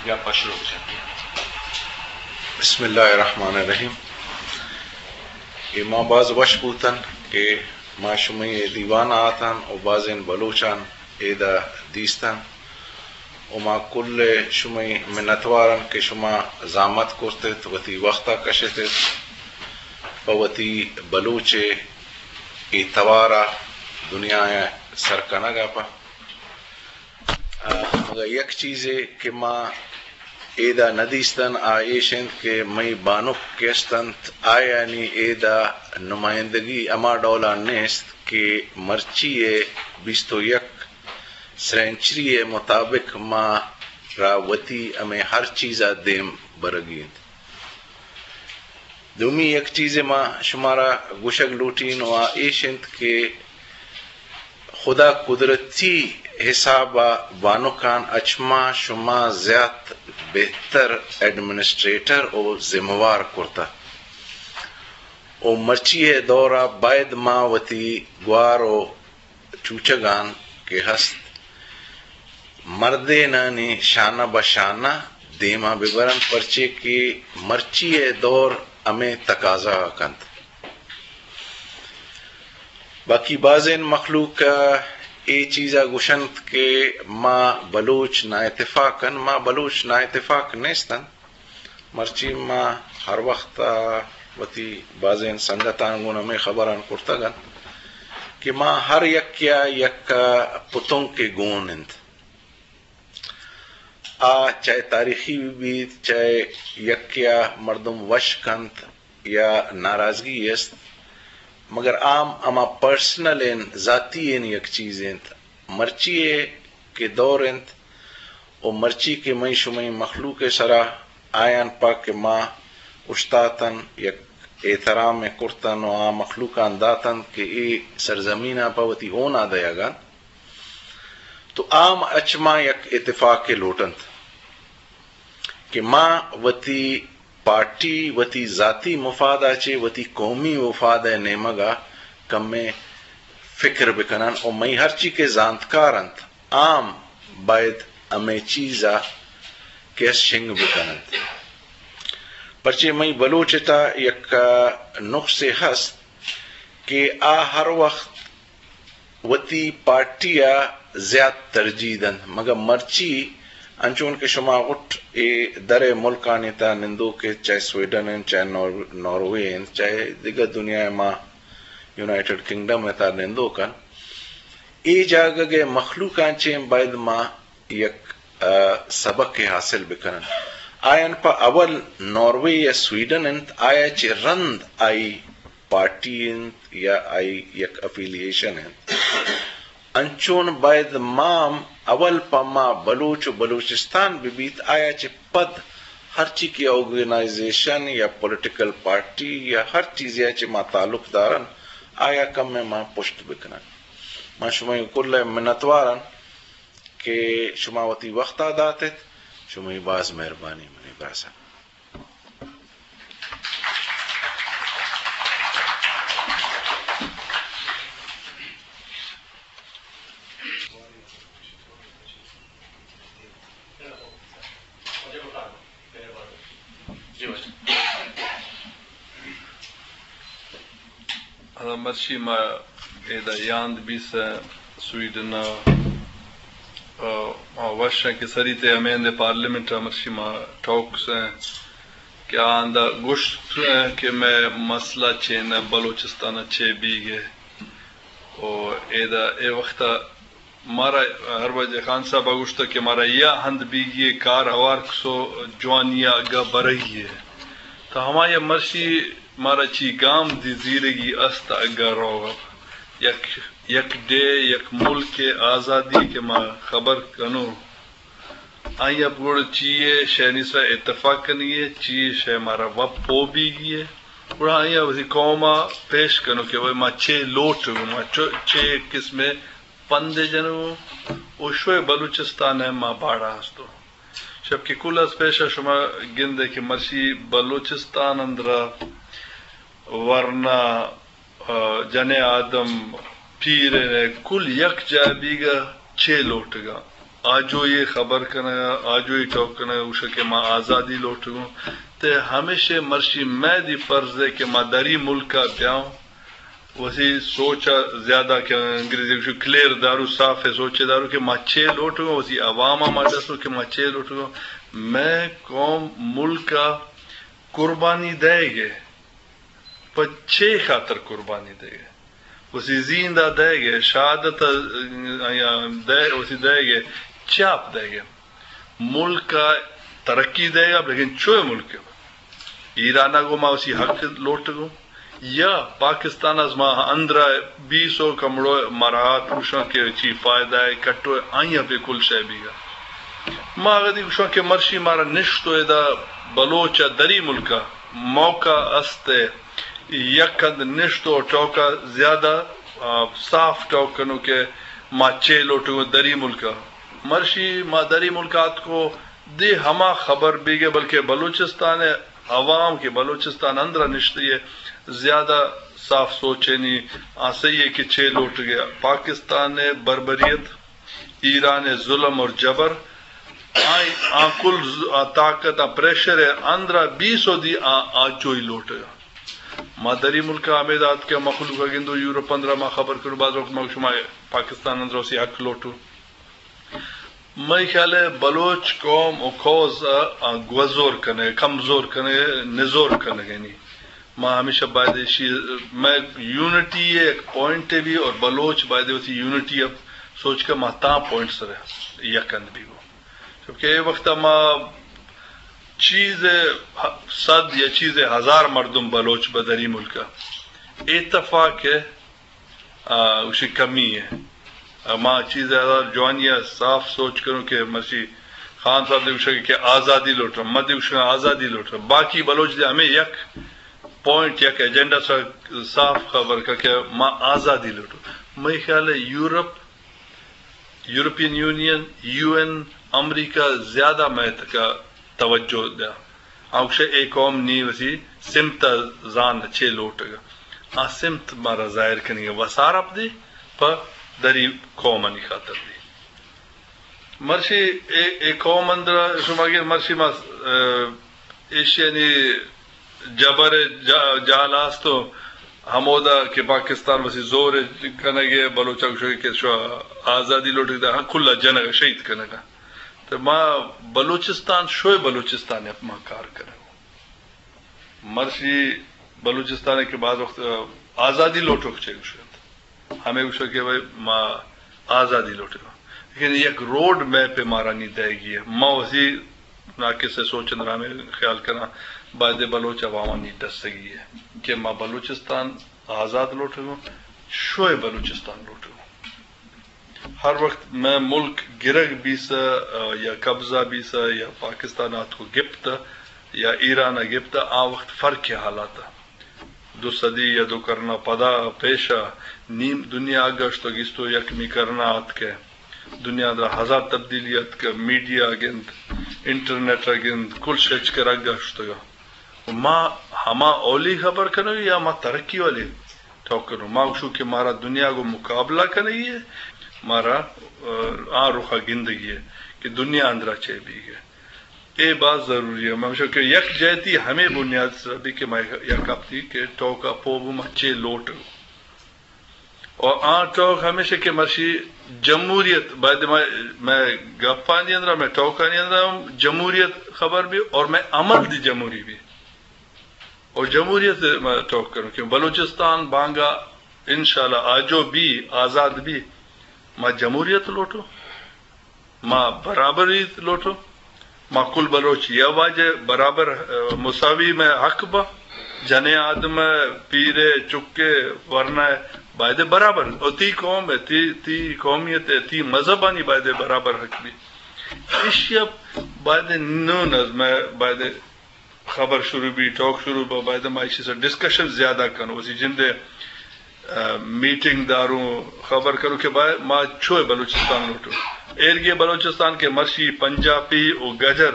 گپ ءَ شروع بکنیں۔ بسم اللہ الرحمن الرحیم۔ اے ما باز وش بوتن کہ ما شمئے دیوان ءَ آتن و بازیں بلوچان ایدا دیستن و ما کل شمئے منتوارن کہ شما زحمت کرتت، وتی وقت ءَ کشتت، پہ وتی بلوچ ءِ اے توار ءَ دنیا ءَ سر کنگ ءَ پہ۔ آ، مگہ یک چیزے کہ ما ایدا ندیستن، آ ایش انت کہ مئی بانک کہ است انت، آیانی ایدا نمائندگی ہما ڈولا نیست کہ مرچی ءِ بیست و یک سرنچری ءِ مطابق ما را وتی ہمے ہر چیزا دیم برگی انت۔ دومی یک چیزے ما شمارا گوشگ لوٹین و آ ایش انت کہ خدا قدرتی حساب ءَ بانکان اچ ما شما زیات بہتر ایڈمنسٹریٹر و ذمہ وار کرتہ و مرچی ءِ دور ءَ باید ما وتی گوار و چوچگان کہ ہست، مردینانی شانہ بہ شانہ دیما ببرن، پرچے کہ مرچی ءِ دور ہمے تقاضا کنت۔ باقی بازیں مخلوق اے چیزا گوشنت کہ ما بلوچ نااتفاق ان، ما بلوچ نااتفاق نیستن۔ مرچی ما ہر وخت ءَ وتی بازیں سنگتاں گوں ہمے خبراں کرتگ انت کہ ما ہر یکے ءَ یک پتنکے گون انت۔ آ چاہے تاریخی بہ بیت، چاہے یکے ءَ مردم وش کنت یا ناراضگی است، مگر عام ہما پرسنل انت، ذاتی انت، یک چیز انت۔ مرچی ءِ کہ دور انت، و مرچی کہ مئی شمئی مخلوق ءِ سرا آیان پہ کہ ما اوشتاتن، یک احترام ءَ کرتن و آ مخلوقان داتن کہ اے سرزمین ءَ پہ وتی ہون ءَ دئیگ انت، تو عام اچ ما یک اتفاقے لوٹنت کہ ما وتی پارٹی، وتی ذاتی مفاد ءَ چہ وتی قومی مفاد ءِ نیمگ ءَ کمے فکر بکنن و مئی ہرچی کہ زانتکار انت، عام باید ہمے چیز ءَ کہ است شنگ بکننت۔ پرچے مئی بلوچ ءِ تہ یک نقصے ہست کہ آ ہر وخت وتی پارٹی ءَ زیات ترجیح دنت، مگر مرچی انچون کہ شما غٹ اے در ءِ ملکانی تہ نندوک ات، چاہے سویڈن انت، چاہے نور-، ناروے انت، چاہے دگہ دنیا ءِ ما یونائیٹڈ کنگڈم ءِ تہ نندوک ان، اے جاگہ ءِ مخلوقاں چہ باید ما یک، ءَ، سبق ءَ حاصل بکنن۔ آیان پہ اول ناروے یا سویڈن انت، آیا چہ رند آئی پارٹی انت یا آئی یک افیلیشن انت۔ انچون باید ما ہم اول پہ ما بلوچ و بلوچستان بہ بیت، آیا چہ پد ہرچی کہ آرگنائزیشن یا پولیٹیکل پارٹی یا ہر چیزے ءَ چہ ما تعلق دارن، آیا کمے ما پشت بکنن۔ ما شمئے کل ءِ منتوارن۔ کہ شما وتی وقت ءَ دات ات۔ شمئے باز مہربانی منی براساں۔ مرچی ما ادا یاند بیسہ سویڈن ءَ، آ، آ وش کہ سری تے ہمے ہندے پارلیمنٹ ءَ مرچی ما ٹوکس کہ آندا گوشت کہ مئے مسئلہ چین بلوچستان ءَ چے بیگے۔ او ادا اے وقت ءَ مارا ہر وجہ خان صاحب ءَ گوشتگ کہ مارا یا ہند بیگی ءَ کار ہوار کسو جوانی ءَ اگا برگی ءَ۔ تو ہمائی ءَ مرشی مارا چی گام دی زیرگی است اگا روگ ءَ۔ یک، یک ڈے، یک ملک ءِ آزادی کہ ما خبر کنو۔ آئی ءَ گڑ چی ءِ شے نیسا اتفاق کنگی ءَ، چی ءِ شے مارا وپ پو بیگی ءَ۔ گڑا آئی ءَ وتی قوم ءَ پیش کنو کہ بھئی ما چے لوٹ، ما چو-، چے قسم ءِ پند جنو، او شوئے بلوچستان ءَ ما باڑا ہستو۔ شپ کہ کل از پیش ءَ شما گندے کہ مرشی بلوچستان اندرا ورنا، آ، جنیں آدم، پیریں کل یک جاہ بیگا چے لوٹگا۔ آجوئی خبر کنگ ءَ، آجوئی ٹوک کنگ ءَ، گوشگ کہ ما آزادی لوٹگوں۔ تے ہمیشے مرشی مئے دی فرض ہے کہ ما دری ملک ءَ بیاؤں، وسی سوچ ءَ زیادہ کہ انگریزی گوشو کلیئر دارو، صاف ءِ سوچے دارو کہ ما چے لوٹگوں، وسی عوام ءَ ما ڈسو کہ ما چے لوٹگوں۔ مئے قوم ملک ءَ قربانی دئیگ ءَ، پہ چے خاطر قربانی دئیگ ءَ؟ وسی زیند ءَ دئیگ ءَ، شہادت ءَ، آ، دئے-، وسی دئیگ ءَ، چاپ دئیگ ءَ۔ ملک ءَ ترقی دئیگ ءَ، لیکن چوئے ملک ءَ؟ ایران ءَ گوں ما وسی حق لوٹگوں، یا پاکستان ءَ ما اندر ءَ بیسو کمڑو مراعات گوشاں کہ چی فائدہ ءَ کٹو ءَ، آئی ءَ بے کل شے بیگ ءَ۔ ما اگدی گوشاں کہ مرشی مارا نشتو ادا بلوچ ءَ دری ملک ءَ موقع است ءَ، یک کند نشتو ٹوک ءَ زیادہ، آ، صاف ٹوک کنو کہ ما چے لوٹگوں دری ملک ءَ۔ مرشی ما دری ملک ءَ آتکو دے ہما خبر بیگ ءَ، بلکہ بلوچستان ءِ عوام کہ بلوچستان اندر ءَ نشتئی ءَ زیادہ صاف سوچینی آسئی ءَ کہ چے لوٹگ ءَ۔ پاکستان ءِ بربریت، ایران ءِ ظلم اور جبر، آئی، آ کل ز-، آ طاقت، آ پریشر ءِ اندر ءَ بیسو دی آ، آجوئی لوٹگ ءَ۔ ما دری ملک ءَ ہمے دات کہ مخلوق ءَ گندو، یورپ اندر ءَ ما خبر کرو، بعض وقت ما شما پاکستان اندر ءَ وسی حق لوٹو۔ مئے خیال ءَ بلوچ قوم و کوز ءَ گوزور کنگ، کمزور کنگ، نزور کنگ، یعنی ما ہمیشہ باید ایشی، مئے یونٹی ءِ ایک پوائنٹ ءَ بھی اور بلوچ باید وتی یونٹی ءَ سوچ کہ ما تاں پوائنٹ سر یک اند بھی گو۔ چونکہ اے وقت ما چیز صد یا چیز ہزار مردم بلوچ بدری ملک ءَ اتفاق ءَ آ، گوشی کمی ہے۔ آ، ما چیز ءَ جوانی ءَ صاف سوچ کنوں کہ مرشی خان صاحب دے گوشگ کہ آزادی لوٹاں، ما دے گوشاں آزادی لوٹاں۔ باقی بلوچ دے ہمیں یک پوائنٹ، یک ایجنڈا سا صاف خبر کا کہ ما آزادی لوٹاں۔ مئے خیال ہے یورپ، یورپین یونین، یو این، امریکہ زیادہ مئے تکا توجہ دیا۔ آ گوشے اے قوم نی وتی سمت ءَ زان چے لوٹگ ءَ۔ آ سمت مارا ظاہر کنگ ءَ وسارپ دی پہ دری قومانی خاطر دی۔ مرشی اے، اے قوم اندر شما گر مرشی ما، اه، ایشیانی جبر جا-، جال است و ہمودا کہ پاکستان وتی زور کنگ ءَ بلوچ ءَ گوشگ کہ شو آزادی لوٹگ ءَ، ہاں کل ءَ جنگ ءَ شہید کنگ ءَ۔ تو ما بلوچستان، شوئے بلوچستان ءَ ما کار کنگ۔ مرشی بلوچستان ءَ کہ بعض وقت، آ، آزادی لوٹوک چے گوشگ ءَ انت۔ ہمے گوشگ کہ بھئی ما آزادی لوٹگ ءَ۔ لیکن یک روڈ میپ مارا نی دئیگی ہے۔ ما وسی ناقص ءِ سوچ اندر ہمے خیال کناں، باید بلوچ عوامانی ڈسگی ہے کہ ما بلوچستان آزاد لوٹگ ءَ، شوئے بلوچستان لوٹگ ءَ۔ ہر وقت مئے ملک گرگ بیسہ، آ، یا قبضہ بیسہ، یا پاکستان آتکو گپتہ، یا ایران ءَ گپتہ، آ وقت فرق ءِ حالات ءَ۔ دو صدی یا دو کرنا پدا پیشا نیم دنیا گشت و گیستو یکمی کرنا آتکہ۔ دنیا در ہزار تبدیلی آتکہ، میڈیا گند، انٹرنیٹ گند، کل شچ کرا گشتگا۔ ما ہما اولی خبر کنو یا ما ترقی والے ٹوک کنو؟ ما گوشو کہ مارا دنیا کو مقابلہ کنگی ہے، مارا، آ، آ رخا گندگی ہے کہ دنیا اندرا چے بیگ ہے۔ اے باز ضروری ہے۔ من گوشو کہ یک جہتی ہمیں بنیاد سر بھی کہ ما یک ہفتی کہ ٹوکا پوبو ما چے لوٹ۔ اور آ ٹوک ہمیشہ کہ مرشی جمہوریت، باید ما، میں گپانی اندرا، میں ٹوکانی اندرا ہم جمہوریت خبر بھی اور میں عمل دی جمہوری بھی۔ اور جمہوریت ما ٹوک کروں کہ بلوچستان بانگا انشاءاللہ آجو بھی، آزاد بھی، ما جمہوریت لوٹو، ما برابری لوٹو، ما کل بلوچ یا واجہ برابر، آ، مساوی میں حق با، جنے آدم، پیرے، چکے، ورنہ، بایدے برابر۔ او تی قوم ہے، تی، تی قومیت ہے، تی مذہبانی بایدے برابر حق بھی۔ ایشی اب بایدے نون از میں بایدے خبر شروع بی، ٹاک شروع با، باید ما ایشی سر ڈسکشن زیادہ کنو۔ اسی جندے، آ، میٹنگ داروں، خبر کرو کہ باید ما چوئے بلوچستان لوٹو۔ ایرگے بلوچستان کے مرشی پنجابی و گجر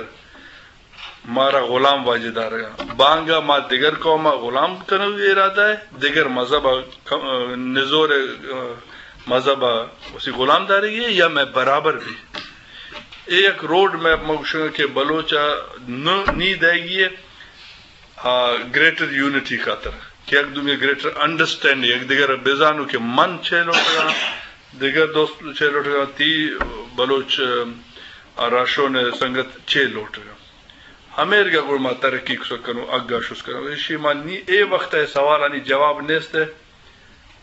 مارا غلام واجہ دارگا۔ بانگا ما دگر قوم غلام کنو ارادہ ہے، دگر مذہب، آ، نزور، آ، مذہب اسی غلام دارگی ہے یا میں برابر بھی؟ اے یک روڈ میپ ما گوشگاں کہ بلوچ ءَ نہ، نی دئیگی ءَ، آ، گریٹر یونٹی خاطر کہ یک دومی گریٹر انڈرسٹینڈنگ، یک دگر ءَ بزانو کہ من چے لوٹگاں، دگر دوست چے لوٹگاں، تی بلوچ، آ، راشون سنگت چے لوٹگاں۔ ہمیرگا گڑ ما ترقی کسک کنوں، اگا شست کنوں۔ ایشی ما نی اے وقت ءَ سوالانی جواب نیست ءَ،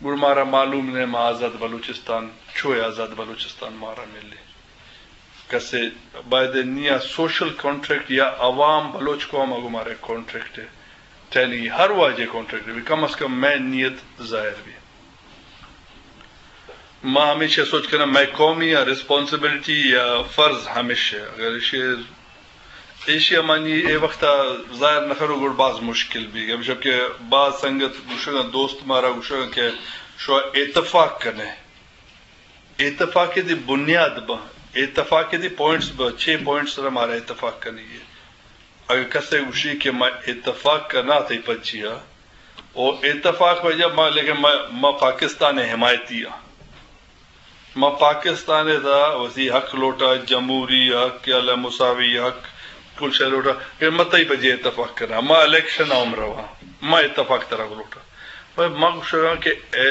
گڑ مارا معلوم نہ ما آزاد بلوچستان، چوئے آزاد بلوچستان مارا ملے۔ کسے باید نیا سوشل کانٹریکٹ یا عوام بلوچ قوم ءَ گوں مارا کانٹریکٹ ءَ ٹہینگی، ہر واجہ کانٹریکٹ بی، کم از کم مئے نیت ظاہر بی۔ ما ہمیشہ سوچ کناں، مئے قومی یا ریسپانسبلٹی یا فرض ہمیشہ، اگر ایشی، ایشی ءَ ما نی اے وقت ءَ ظاہر نہ کنوں، گڑ باز مشکل بی۔ ہمیشہ کہ باز سنگت گوشگاں، دوست مارا گوشگاں کہ شو اتفاق کنے، اتفاق دی بنیاد با، اتفاق دی پوائنٹس با، چھ پوائنٹس را مارا اتفاق کنگی۔ اگر کسے گوشی کہ ما اتفاق کنا تئی پچیا، او اتفاق وجہ ما، لیکن ما، ما پاکستان حمایتی ہاں۔ ما پاکستان ءِ تہا وتی حق لوٹا، جمہوری حق یا مساوی حق، کل شے لوٹا کہ ما تئی پجے اتفاق کنا، ما الیکشن ءَ ہم رواں، ما اتفاق ترا لوٹا۔ پر ما گوشگاں کہ اے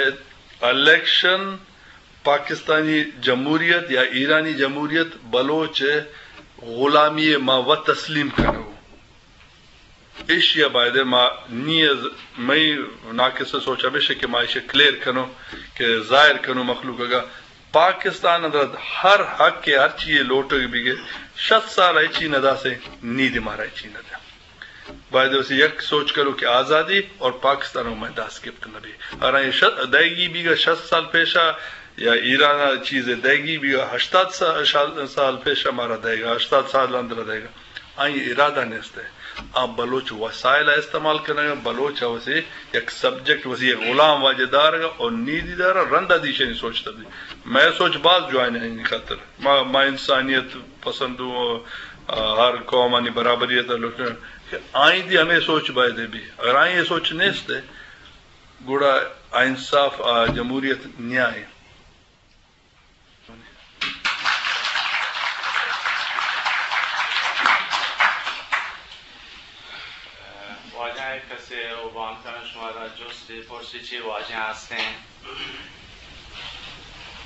الیکشن پاکستانی جمہوریت یا ایرانی جمہوریت بلوچ ءِ غلامی ءَ ما وت تسلیم کنوں۔ ایشی ءَ باید ما نی از مئی ناقص سوچ ہمیش کہ ما ایشی کلیئر کنوں کہ ظاہر کنوں مخلوق ءَ کہ پاکستان اندر ہر حق ءِ ہر چیز لوٹگ بیگے، شست سال ءَ چی نہ داسے، نی دی مارا چی نہ دے۔ باید اسی یک سوچ کنوں کہ آزادی اور پاکستان ءَ مئے دست گپت نہ بی۔ ہر آئی شت، دئیگی بیگا شست سال پیشا یا ایران ءَ چیز دئیگی بیگا ہشتاد سال، سال پیشا مارا دئیگا، ہشتاد سال اندر دئیگا۔ آئی ارادہ نیست ءَ۔ آ بلوچ وسائل ءَ استعمال کنگ ءَ، بلوچ ءَ وسی یک سبجیکٹ، وسی یک غلام واجہ دارگ ءَ اور نیدی دار ءَ رند ءَ دیشانی سوچ تبدیل۔ مئے سوچ باز جوائن ءَ آئی خاطر۔ ما، ما انسانیت پسند و، آ، ہر قومانی برابری ءَ تعلق کہ آئی دی ہمیں سوچ باید بی۔ اگر آئی سوچ نیست ءَ، گڑا آ انصاف، آ جمہوریت نیائے۔ واجہ یک کسے او بان کنن شمارا جست بپرسی چی واجہ ہستیں؟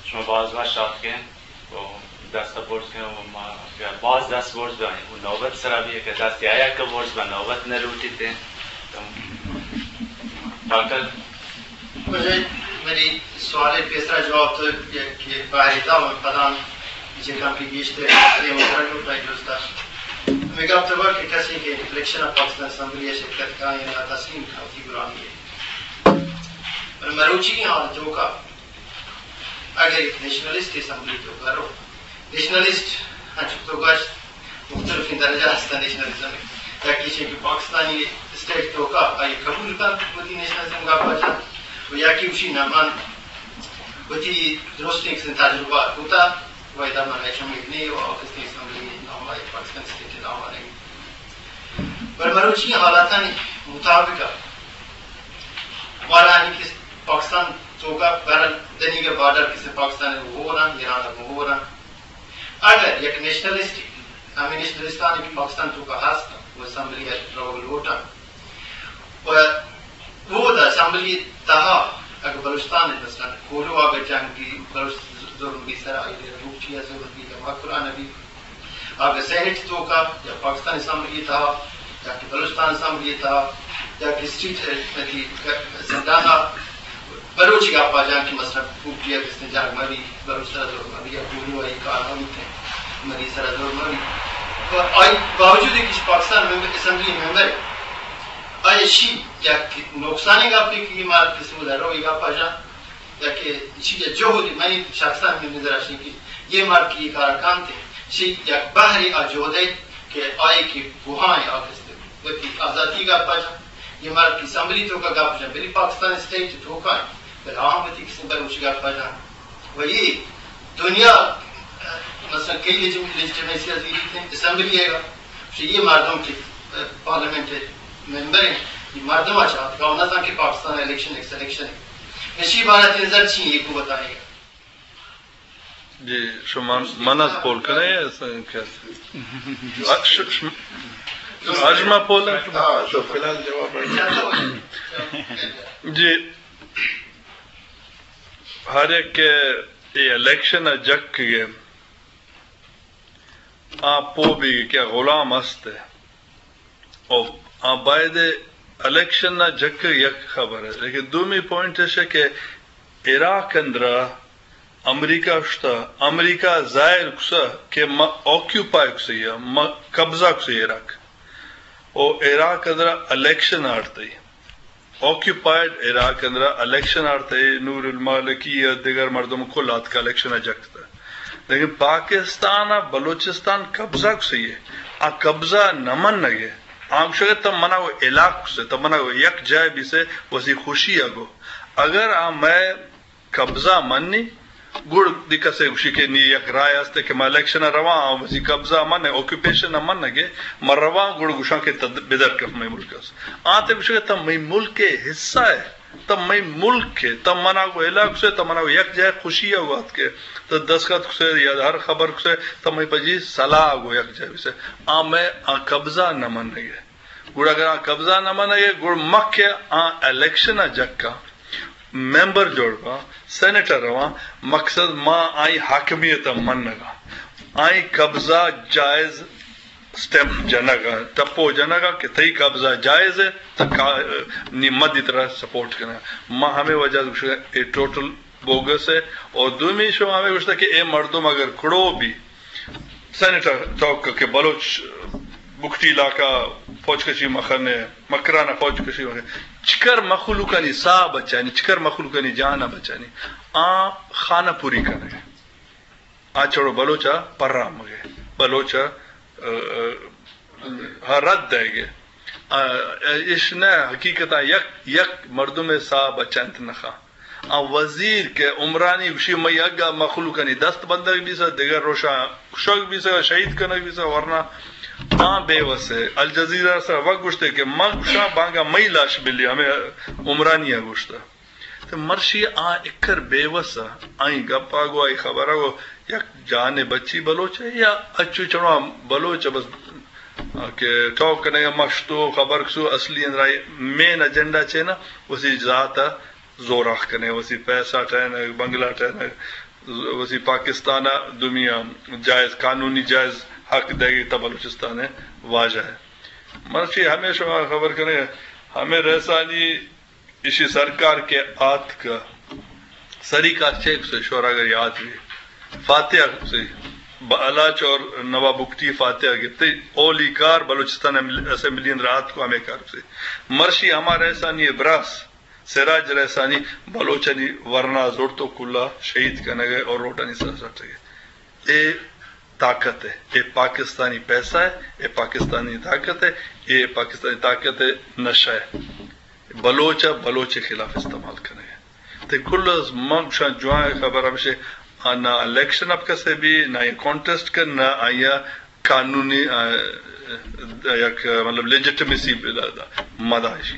شما باز وش آتکیں و دست برز کن و ما باز دست برز بیں و نوبت سرا بھی کہ دست یا یک برز بہ نوبت نہ لوٹیتیں۔ ڈاکٹر بجائے منی سوال ءِ پیسرا جواب تو یک بہرے دات، من پدا چہ کمے گیشتر اے مطلب جو پہ جست داشت۔ ہمے گپ تو کہ کسے کہ الیکشن ءَ پاکستان اسمبلی ءَ شرکت کاں یا تسلیم کاں وتی غلامی ءَ۔ بلے مروچی حال ءِ توکا اگر یک نیشنلسٹ اسمبلی ءِ توکا رو، نیشنلسٹ انچو تو گوشت مختلفیں درجہ ہستاں نیشنلزم ءِ۔ یکے ایش کہ پاکستانی اسٹیٹ ءِ توکا آئی قبول کنت وتی نیشنلزم گپ ءَ جنت و یکے گوشی نہ من وتی درستیں کسیں تجربہ کتا و ادا من ہچ امید نی و کسیں اسمبلی ءِ نام ءَ پاکستان اسٹیٹ ءِ نام ءَ نہ۔ بلے مروچی حالاتانی مطابق مارا ہنی کہ پاکستان توکا بہرحال دنیگہ بارڈر کسے پاکستان ءَ گوں ہور انت، ایران ءَ گوں ہور انت۔ اگر یک نیشنلسٹ، ہمے نیشنلستانی کہ پاکستان توکا ہست انت، و اسمبلی ءَ روگ لوٹ انت، و اودا اسمبلی ءِ تہا اگر بلوچستان ءَ مثلاً کوہلو ءَ اگر جنگ بی، بلوچ ظلم بی سرا، آئی ءَ بگٹی ءَ ظلم بی، یا مکران ءَ بی، آ کہ سینیٹ توکا یا پاکستان اسمبلی تہا یا کہ بلوچستان اسمبلی تہا یا کہ اسٹیٹ، اه، کہ زندان ءَ بلوچی گپا جان کہ مثلاً بگٹی ءَ کسیں جنگ مبی، بلوچ سرا ظلم مبی یا کوہلو ءَ اے کار مبی، مری سرا ظلم مبی۔ و آئی باوجود کہ پاکستان ممبر، اسمبلی ممبر، آئی شی یک نقصانی گپے کہ یہ مارا کسی مدرو یہ گپا جان۔ یا کہ ایشی ءِ جہد، منی شخصاً ہمے نظر اش کہ یہ مرد کہ یہ کارا کنت، ایشی یک بہرے آ جہد ءِ کہ آئی کہ گوہاں آ کست وتی آزادی گپ جن، یہ مرد کہ اسمبلی توکا گپ جن، بلے پاکستان اسٹیٹ توکا، بلے آہاں وتی کسی بلوچی گپ جن۔ و یہ دنیا، مثلاً کئی لیجیٹیمیسی ءَ زیریت اسمبلی ءَ، یہ مردم کہ پارلیمنٹ ءِ ممبر ایں، یہ مردم ءَ چہ آتکا، نہ زان کہ پاکستان الیکشن ایک سلیکشن ہے۔ اشی بارہ ءَ تئی نظر چی ایں، ایکو بتائیں۔ جی، شما من از پول کنئے، ش-، ش-، اجما پول؟ ہاں، تو فی الحال جواب۔ جی، ہر یک کہ اے الیکشن ءَ جک گئے، آ پو بیگ کہ غلام است۔ او آ باید الیکشن ءَ جک یک خبر ہے، لیکن دومی پوائنٹ اش کہ عراق اندرا امریکہ اشتا، امریکہ ظاہر کسا کہ ما آکیوپائی کسے یا ما قبضہ کسے عراق۔ او عراق اندرا الیکشن آڑتئی۔ آکیوپائیڈ عراق اندرا الیکشن آڑتئی، نور المالکی یا دیگر مردم کل آتکا الیکشن ءَ جک کتا۔ لیکن پاکستان ءَ بلوچستان قبضہ کسے، آ قبضہ نہ منگے۔ آ گوشگے تم منا و علاق کسے، تم منا و یک جائے بیسے، وسی خوشی ءَ گو۔ اگر آ مئے قبضہ منی، گڑ دی کسے گوشی کہ نی یک رائے است کہ ما الیکشن ءَ رواں، آ وسی قبضہ ءَ من، آکیوپیشن ءَ من گے، ما رواں گڑ گوشاں کہ تد بدر کف مئے ملک است۔ آ تے گوشگے تم مئے ملک ءِ حصہ ہے، تم مئے ملک ہے، تم منا گو علاق سے، تم منا گو یک جائے خوشی ءَ وات کے، تو دستخط کسے یا ہر خبر کسے، تم مئے پجی صلاح گو یک جائے سے۔ آ مئے آ قبضہ نہ من گے۔ گڑا اگر آ قبضہ نہ منگ ءَ، گڑ مکہ آ الیکشن ءَ جکاں، ممبر جوڑ باں، سینیٹر رواں، مقصد ما آئی حاکمیت ءَ منگ ءَ، آئی قبضہ جائز اسٹیمپ جنگ ءَ، ٹپو جنگ ءَ کہ تئی قبضہ جائز ہے، تو کا-، نی مدی ترا سپورٹ کنگ ءَ۔ ما ہمے وجہ گوشگ ءَ اے ٹوٹل بوگس ہے۔ اور دومی شما ہمے گوشتا کہ اے مردم اگر کڑو بھی سینیٹر چوک کہ بلوچ بگٹی علاقہ فوج کشی مخنے، مکران فوج کشی مخنے، چکر مخلوقانی ساہ بچانی، چکر مخلوقانی جان بچانی، آ خانہ پوری کنگ۔ آ چڑو بلوچ ءَ پرامگے، بلوچ ءَ، ءَ، ءَ، رد دئیگے۔ ءَ، ایش نہ حقیقت ءَ یک، یک مردم ساہ بچنت نخا۔ آ وزیر کہ عمرانی گوشی مئی اگا مخلوقانی دست بندگ بیسا، دگہ روشا کشگ بیسا، شہید کنگ بیسا، ورنہ آ بے وس ہے۔ الجزیرہ سر وقت گوشتے کہ ما گوشا بانگا مئی لاش بلی، ہمیں عمرانی گوشتا۔ تو مرشی آ اکر بے وس آ، آئی گپا گو، آئی خبرا گو، یک جانے بچی بلوچ ہے یا اچو چڑوا بلوچ ہے بس، آ، کہ ٹاک کنگا مشتو خبر کسو اصلی اندرائی مین ایجنڈا چینا، وسی ذات زوراخ کنے، وسی پیسہ ٹہینگ، بنگلہ ٹہینگ، وسی پاکستان ءَ دومی ءَ جائز، قانونی جائز حق دئیگ تا بلوچستان ءِ واجہ ءَ۔ مرچی ہمے شما خبر کنے، ہمے رئیسانی ایشی سرکار کہ آتک، سری کار چیک سے شور اگر یاد بھی۔ فاتحہ سے بلاچ اور نواب بگٹی فاتحہ گپتے، اولی کار بلوچستان اسمبلی اندر آتک ہمے کار سے۔ مرشی ہما رئیسانی براس سراج رئیسانی بلوچانی ورنا زرت و کلا شہید کنگ ءَ اور روڈانی سر سٹگ ءَ۔ اے طاقت ہے، اے پاکستانی پیسہ ہے، اے پاکستانی طاقت ہے، اے پاکستانی طاقت ہے، نشہ ہے۔ بلوچ ءَ بلوچ ءِ خلاف استعمال کنگ ءَ۔ تے کل از من گوشاں جوان خبر ہمشے، آ نہ الیکشن اپ کسے بھی، نہ یہ کانٹیسٹ کر، نہ آیا قانونی، آ، یک، مطلب، لیجیٹمیسی مدا ایشی۔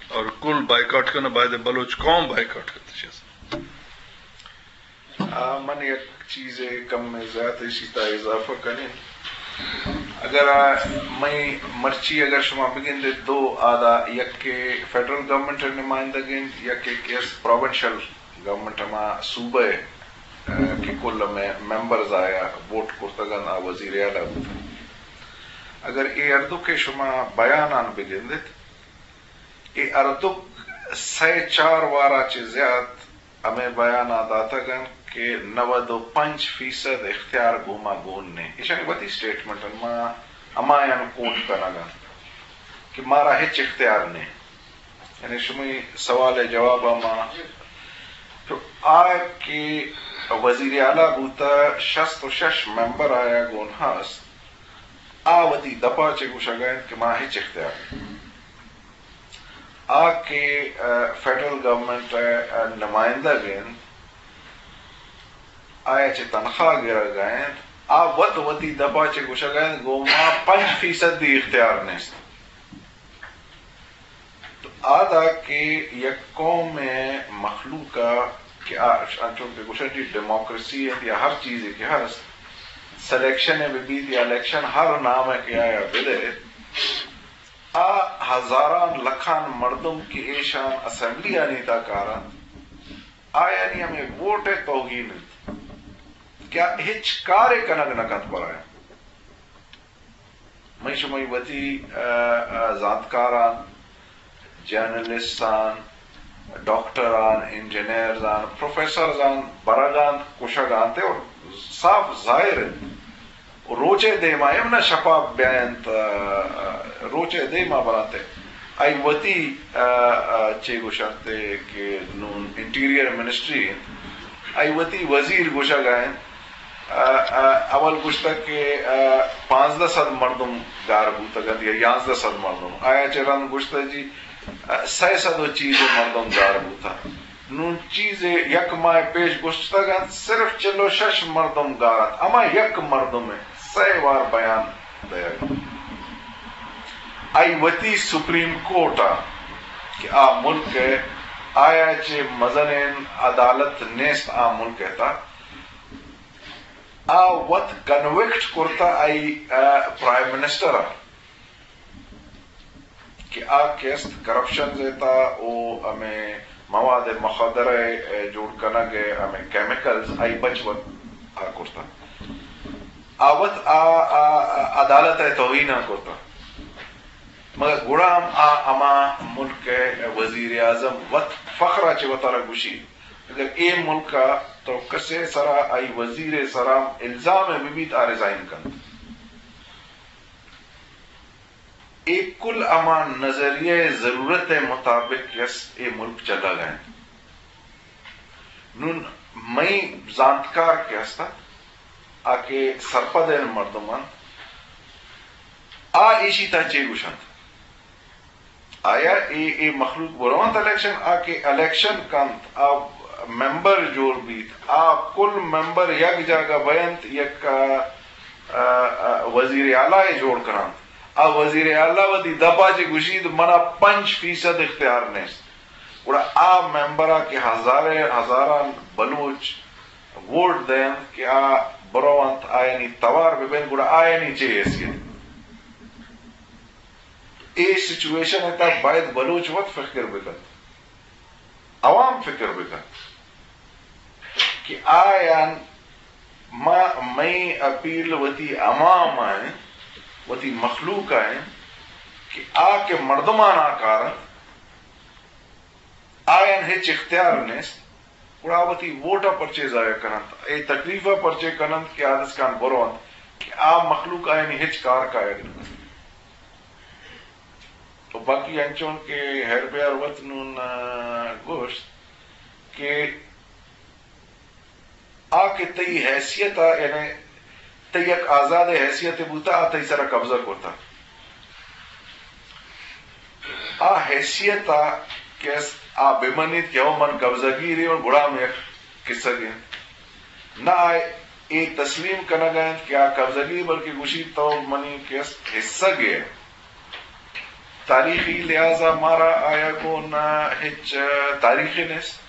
اور کل بائیکاٹ کرنا، باید بلوچ قوم بائیکاٹ کرتے شیئر۔ آ، من یک چیزے کم زیات ایشی تا اضافہ کنیں۔ اگر آ، مئی مرچی اگر شما بگندے دو آدا، یک کہ فیڈرل گورنمنٹ ءِ نمائندگ انت، یک کہ اس پروونشل گورنمنٹ ہما صوبہ ءِ، آ، کہ کل مے-، ممبرز آیا ووٹ کرتگ انت، آ وزیر اعلیٰ بوتگ۔ اگر اے ہردو کہ شما بیانان بگندت، اے ہردوک سئے چار وارا چہ زیات ہمے بیان ءَ داتگ انت کہ نود و پنچ فیصد اختیار گوں ما گون نے۔ ایشانی وتی اسٹیٹمنٹ انت، ما ہمایان کوٹ کنگ انت کہ مارا ہچ اختیار نے۔ یعنی شمئی سوال ءِ جواب ءَ ما، تو آ کہ وزیر اعلیٰ بوتا، شست و شش ممبر آیا گون ہست، آ وتی دپا چہ گوشگ ءَ انت کہ ما ہچ اختیار نے۔ آ کہ، آ، فیڈرل گورنمنٹ ءِ، آ، نمائندگ انت، آیا چہ تنخواہ گرگ ءَ انت، آ وت وتی دپ ءَ چہ گوشگ ءَ انت، گوں ما پنچ فیصدی اختیار نیست۔ تو آ دا کہ یک قوم ءِ مخلوق ءَ کہ آ انچو کہ گوشن جی ڈیموکریسی انت یا ہر چیزے کہ ہست، سلیکشن ء بہ بیت یا الیکشن، ہر نام ء کہ آیا بدئے، آ ہزاران لکھان مردم کہ ایشان اسمبلی آنی تا کاران، آیانی ہمے ووٹ ء توہین انت کہ آ ہچ کارے کنگ نہ کنت پر آیان۔ مئی شمئی وتی، ء، ء، زانتکاراں، جرنلسٹاں، ڈاکٹراں، انجینئرزاں، پروفیسرزاں برگاں، کشگاں تے اور صاف ظاہر انت۔ روچے دیما ایم نہ شپا بیاینت، ء، ء، روچے دیما برانتے۔ آئی وتی، ء، ء، چے گوشنتے کہ نون انٹیریئر منسٹری انت۔ آئی وتی وزیر گوشگ ء انت۔ ء، ء، اول گوشتگ کہ، ء، پانزدہ سد مردم گار بوتگ انت یا یانزدہ سد مردم۔ آیا چہ رند گوشتگ جی، ء، سئے سد و چیزے مردم گار بوتگ۔ نون چیزے یک ماہ پیش گوشتگ انت، صرف چل و شش مردم گار انت۔ ہما یک مردم ء سئے وار بیان دئیگ۔ آئی وتی سپریم کورٹ ء کہ آ ملک ء آیا چہ مزنیں عدالت نیست آ ملک ء تھا، آ وت کنوکٹ کرتا آئی، ء، پرائم منسٹر ء کہ آ کیست کرپشن زیتا او ہمیں مواد مخدرہ ء جوڑ کنگ ء ہمیں کیمیکلز آئی بچ وت آ کرتا۔ آ وت آ، آ، آ عدالت ء توہین ء کرتا۔ مگر گڑا ہم آ ہما ملک ء وزیر اعظم وت فخر ء چہ وتارا گوشی، اگر اے ملک ء تو کسے سرا آئی وزیر ء سرا الزام ء بہ بیت، آ ریزائن کنت۔ اے کل ہما نظریہ ء ضرورت ء مطابق کہ است اے ملک چلگ ء انت۔ نون مئی زانتکار کہ است انت، آ کہ سرپدیں مردم انت، آ ایشی تا چے گوشنت؟ آیا اے، اے مخلوق برونت الیکشن؟ آ کہ الیکشن کنت، آ ممبر جوڑ بیت، آ کل ممبر یک جاگہ بینت، یک، آ، آ، آ، وزیر اعلیٰ ء جوڑ کننت۔ آ وزیر اعلیٰ وتی دپا چہ گوشیت، منا پنچ فیصد اختیار نیست۔ گڑا آ ممبر ء کہ ہزارے، ہزاران بلوچ ووٹ دینت کہ آ برونت، آیانی توار ببینت، گڑا آیانی چے حیثیت؟ اے سچویشن ء تھا باید بلوچ وت فکر بکنت، عوام فکر بکنت کہ آیان ما، مئی اپیل وتی عوام ء انت، وتی مخلوق ء انت کہ آ کہ مردمان ء کار انت، آیان ہچ اختیار نیست، گڑا وتی ووٹ ء پرچے ضائع کننت، اے تکلیف ء پرچے کننت کہ آ دسکان برونت کہ آ مخلوق آیانی ہچ کار کایگ نہ کنت۔ و باقی انچون کہ ہیر بیار وت نون، آ، گوشت کہ آ کہ تئی حیثیت ء، یعنی تئی یک آزاد حیثیت بوتا، آ تئی سرا قبضہ کرتا۔ آ حیثیت ء کہ است، آ بمنیت کہ او من قبضہ گیری، گڑا ہم یک قصہ گے۔ نہ آ اے تسلیم کنگ ء انت کہ آ قبضہ گیر، بلکہ گوشیت تو منی کہ است حصہ گے۔ تاریخی لحاظ ء مارا آیا گوں نہ ہچ تاریخے نیست۔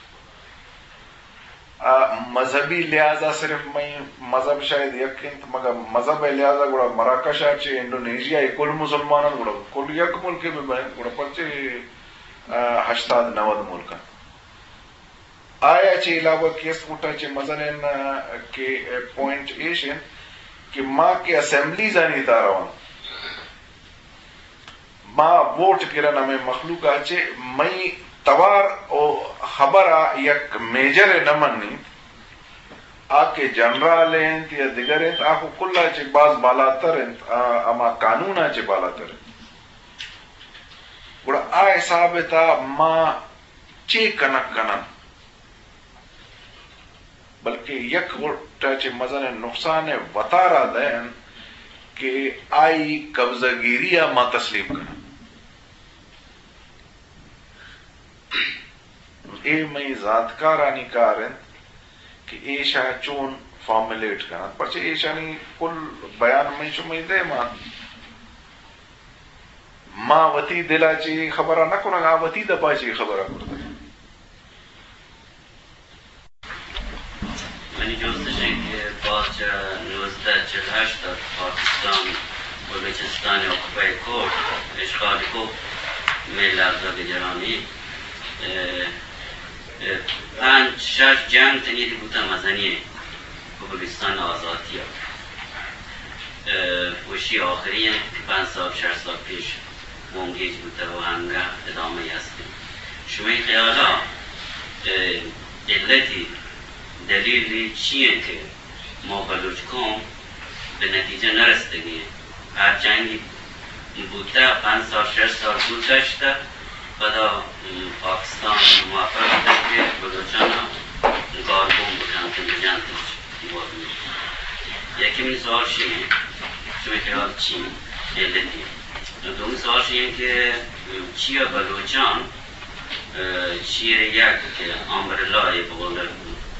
آ، مذہبی لحاظ ء صرف مئی مذہب شاید یک انت، مگر مذہب ء لحاظ ء گڑا مراکش ء چہ انڈونیشیا ء کل مسلمان انت، گڑا کل یک ملک ء بہ بنت، گڑا پرچے، آ، ہشتاد نود ملک انت۔ آیا چہ علاوہ کیست گٹا چہ مزنیں، آ، کہ، آ، پوائنٹ ایش انت کہ ما کہ اسمبلیز آنی تا روان، ما ووٹ گرن ہمے مخلوق ء چہ، مئی توار و خبر ء یک میجر ء نہ منیت، آ کہ جنرال انت یا دگر انت، آ کو کل ء چہ باز بالاتر انت، آ ہما قانون ء چہ بالاتر انت۔ گڑا آ حساب ء تھا ما چے کنگ کنن؟ بلکہ یک گٹ ء چہ مزنیں نقصان ء وتارا دئین کہ آئی قبضہ گیری ء ما تسلیم کنن۔ اے مئی زانتکارانی کار انت کہ ایشاں چون فارمولیٹ کنن، پرچہ ایشانی کل بیان مئی شمئی دیما انت۔ ما وتی دل ء چہ اے خبر ء نہ کنگ، آ وتی دپ ء چہ اے خبر ء کرتگ۔ چہ نوزدہ چل ہشت ءَ پاکستان بلوچستان ءِ آکوپائی کت، اشغال کت، مئے لبزانک ءَ گرانی، اے، اے، پنچ شش جنگ تنیگہ بوتہ مزنیں پہ بلوچستان ءِ آزاتی ءَ۔ اے، وشی آخری انت کہ پنچ سال، شش سال پیش بنگیج بوتہ و انگہ ادامہ است انت۔ شمئے خیالا، اے، علتی، دلیلی چی انت کہ ما بلوچ قوم بہ نتیجہ نہ رستگیں؟ ہر جنگی بوتہ، پنچ سال، شش سال گزشتہ، پدا، م، پاکستان موفق بوتہ کہ بلوچانا گالگون بکنت، بجنت۔ یکی منی سوال شی انت، شمئے خیال چی انت؟ علتی۔ دومی سوال شی انت کہ، م، چیا بلوچان چیرے یک کہ امبریلا ءَ بہ قول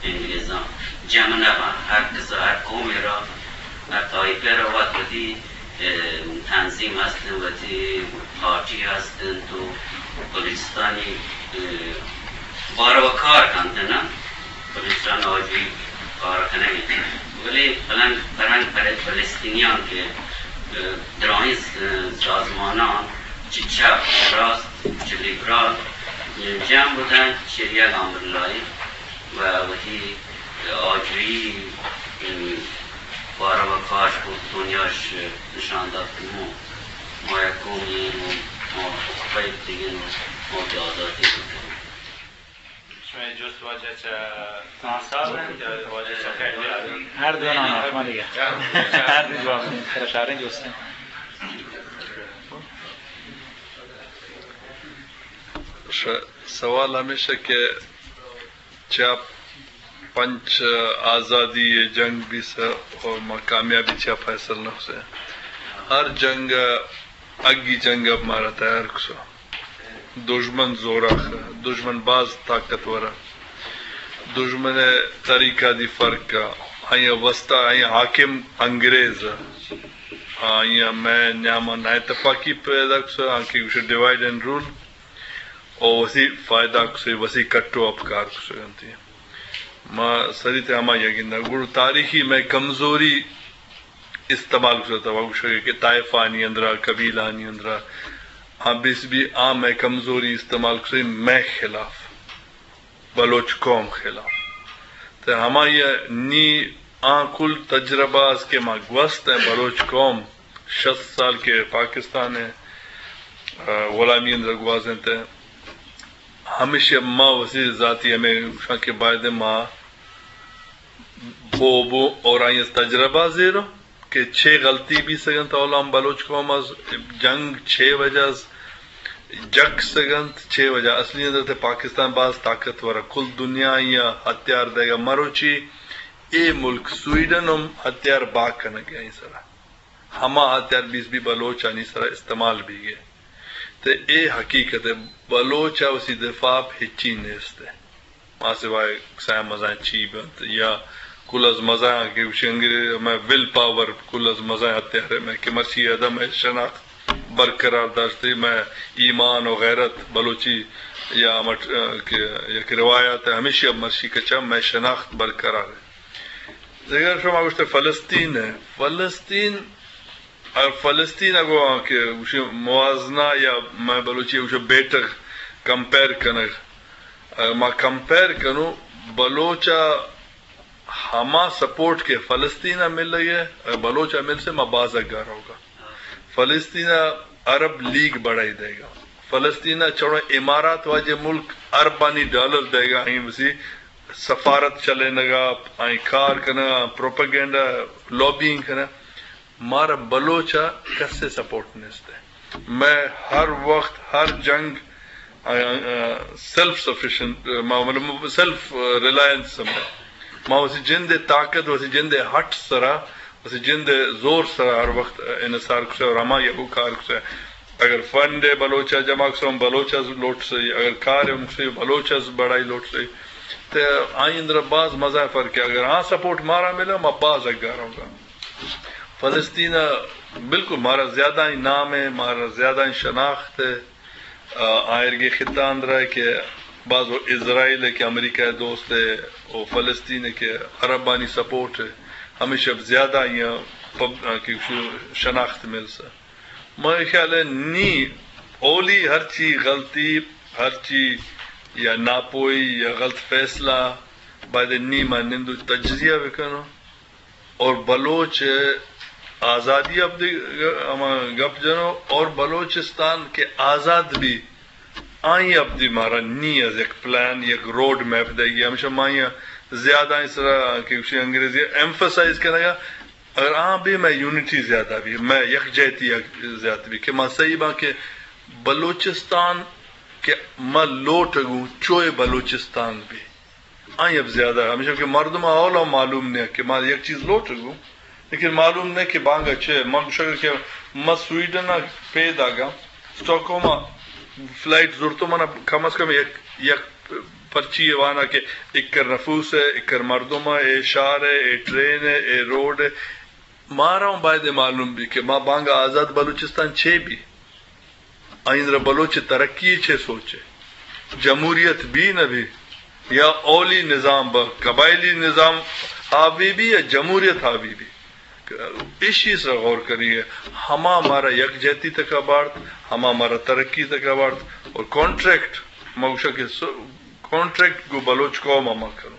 انگریزاں جم نہ باں، ہر کس ءَ، ہر قومے را، ہر طائفے را وت وتی، اے، تنظیم ہست انت، وتی پارٹی ہست انت و بلوچستانی، اے، باروا کار کنت نا، بلوچستان آجوئی کار کنگ انت۔ بلے پلنگ، پرنگ پر-، فلسطینیان کہ، اے، دراہیں س-، سازمانان چہ چپ، چہ راست، چہ لیبرال، جم بوتنت چہ یک امبریلائے و وتی آجوئی باروا کار کت، دنیاش نشان دات کہ ما، ما یک قومی ایں و ما فریب دیگیں و ما وتی آزاتی بوتگیں۔ شمئے جست واجہ چہ خان صاحب انت یا واجہ چہ خیر دیار انت؟ ہر دو نام، شما دیگہ۔ ہر دو جواب انت، سر شاریں جست انت۔ ش-، سوال ہمیش انت کہ چیا پنچ آزادی ءِ جنگ بیثہ اور ما کامیابی چیا فیصل نہ کثہ؟ ہر جنگ ءَ اگی جنگ ءَ مارا تیار کثہ۔ دژمن زوراخ ءَ، دژمن باز طاقتور ءَ۔ دژمن ءِ طریقہ دی فرق ءَ، آئی ءِ وستا، آئی ءِ حاکم انگریز ءَ۔ آئی ءَ مئے نیاما نااتفاقی پیدا کثہ، آنکہ گوشے ڈیوائیڈ اینڈ رول، او وثی فائدہ کثہ، وثی کٹ و اپکار کثہ انت۔ ما سری تہ ہما یگی نہ گڑ تاریخی مئے کمزوری استعمال کثہ، تو گوشگ کہ طائفہ آنی اندرا، قبیلہ آنی اندرا، آ بیث بی آ مئے کمزوری استعمال کثہ مئے خلاف، بلوچ قوم خلاف۔ تہ ہمائی نی آ کل تجربہ اس کہ ما گوست ایں بلوچ قوم شست سال کہ پاکستان ءِ، آ، غلامی اندرا گوازینتہ، ہمیشی ما وثی ذاتی ہمے گوشاں کہ باید ما بو بو اور آئی از تجربہ زیرو کہ چے غلطی بیثگ انت، اولا ہم بلوچ قوم از جنگ چے وجہ از جک سگ انت، چے وجہ۔ اصلی اندر تہ پاکستان باز طاقتور ءَ، کل دنیا آئی ءَ ہتھیار دئیگ ءَ، مروچی اے ملک سویڈن ہم ہتھیار بہا کنگ ءَ آئی سرا۔ ہما ہتھیار بیث بی بلوچ آنی سرا استعمال بیگ ءَ۔ تہ اے حقیقت ءَ، بلوچ ءَ وثی دفاع ءَ ہچی نیست ءَ۔ ما سوائے کسائیں مزائیں چی بنت یا کل از مزائیں کہ گوشی انگریز مئے ول پاور، کل از مزائیں ہتھیار ءَ مئے کہ مرچی ادا مئے شناخت برقرار داشتہ، مئے ایمان و غیرت بلوچی یا ہمٹ، کہ یک روایت ءَ، ہمیشی ءَ مرچی کچا مئے شناخت برقرار ءَ۔ دگہ شما گوشتہ فلسطین ءَ، فلسطین، ءَ، فلسطین ءَ گوں کہ گوشی موازنہ یا مئے بلوچی ءَ گوشی بیٹغ، کمپیئر کنگ، ءَ، ما کمپیئر کنوں، بلوچ ءَ ہما سپورٹ کہ فلسطین ءَ ملگ ءَ، ءَ، بلوچ ءَ ملثہ، ما باز اگا روگا۔ فلسطین ءَ عرب لیگ بڑائی دئیگا۔ فلسطین ءَ چڑو امارات واجہ ملک اربانی ڈالر دئیگا، آئی وثی سفارت چلینگا، آئی کار کنگا، پروپیگنڈا، لابینگ کنگا۔ مارا بلوچ ءَ کسے سپورٹ نیست ءَ۔ مئے ہر وقت، ہر جنگ، آ، آ، سیلف سفیشنٹ، ما، مطلب، سیلف ریلائنس ہم۔ ما وثی جند ءِ طاقت، وثی جند ءِ ہٹ سرا، وثی جند ءِ زور سرا ہر وقت انحصار کثہ اور ہما یکو کار کثہ۔ اگر فنڈ ءَ بلوچ ءَ جمع کثہ، بلوچ ءَ لوٹثہ، اگر کار ءَ کثہ، بلوچ ءَ بڑائی لوٹثہ۔ تہ آئی اندر باز مزہ فرق ءَ۔ اگر آ سپورٹ مارا ملہ، ما باز اگا روگا۔ فلسطین ءَ بالکل مارا زیادہ ہی نام ءَ، مارا زیادہ ہی شناخت ءَ، آ، آئرگی خطہ اندر ءَ کہ باز و اسرائیل ءَ کہ امریکہ ءِ دوست ءَ و فلسطین ءَ کہ عربانی سپورٹ ءَ، ہمیشہ زیادہ آئی ءَ پب-، آ، کہ شناخت ملسا۔ مئے خیال ءَ نی اولی ہرچی غلطی، ہرچی یا ناپوئی یا غلط فیصلہ، باید نی ما نندو تجزیہ بکنو۔ اور بلوچ آزادی ابدی ہما گپ جنو اور بلوچستان کہ آزاد بی، آئی ابدی مارا نی از یک پلان، یک روڈ میپ دئیگی۔ ہمیشہ ما آئی زیادہ آئی سرا کہ گوشی انگریزی ایمفسائز کنگا، اگر آ بی مئے یونٹی زیادہ بی، مئے یکجہتی زیادہ بی کہ ما صحیح باں کہ بلوچستان کہ ما لوٹگوں چوئے بلوچستان بی۔ آئی اب زیادہ ہمیشہ کہ مردم اولا معلوم نہ کہ ما یک چیز لوٹگوں، لیکن معلوم نہ کہ بانگا چے۔ من گوشگ کہ ما سویڈن ءَ پیداگاں، اسٹاک ہوم ءَ فلائٹ زرتو، من کم از کم یک، یک پرچی وانا کہ اکر نفوس ہے، اکر مردم ہے، اے شہر ہے، اے ٹرین ہے، اے روڈ ہے۔ مارا ہم باید معلوم بی کہ ما بانگا آزاد بلوچستان چے بی۔ آئندرا بلوچ ترقی چے سوچے؟ جمہوریت بی نہ بی یا اولی نظام با، قبائلی نظام حاوی بی یا جمہوریت حاوی بی؟ ایشی سرا غور کریے۔ ہما مارا یکجہتی تکا بارت، ہما مارا ترقی تکا بارت۔ اور کانٹریکٹ، ما گوشاں کہ س-، کانٹریکٹ گو بلوچ قوم ہما کروں۔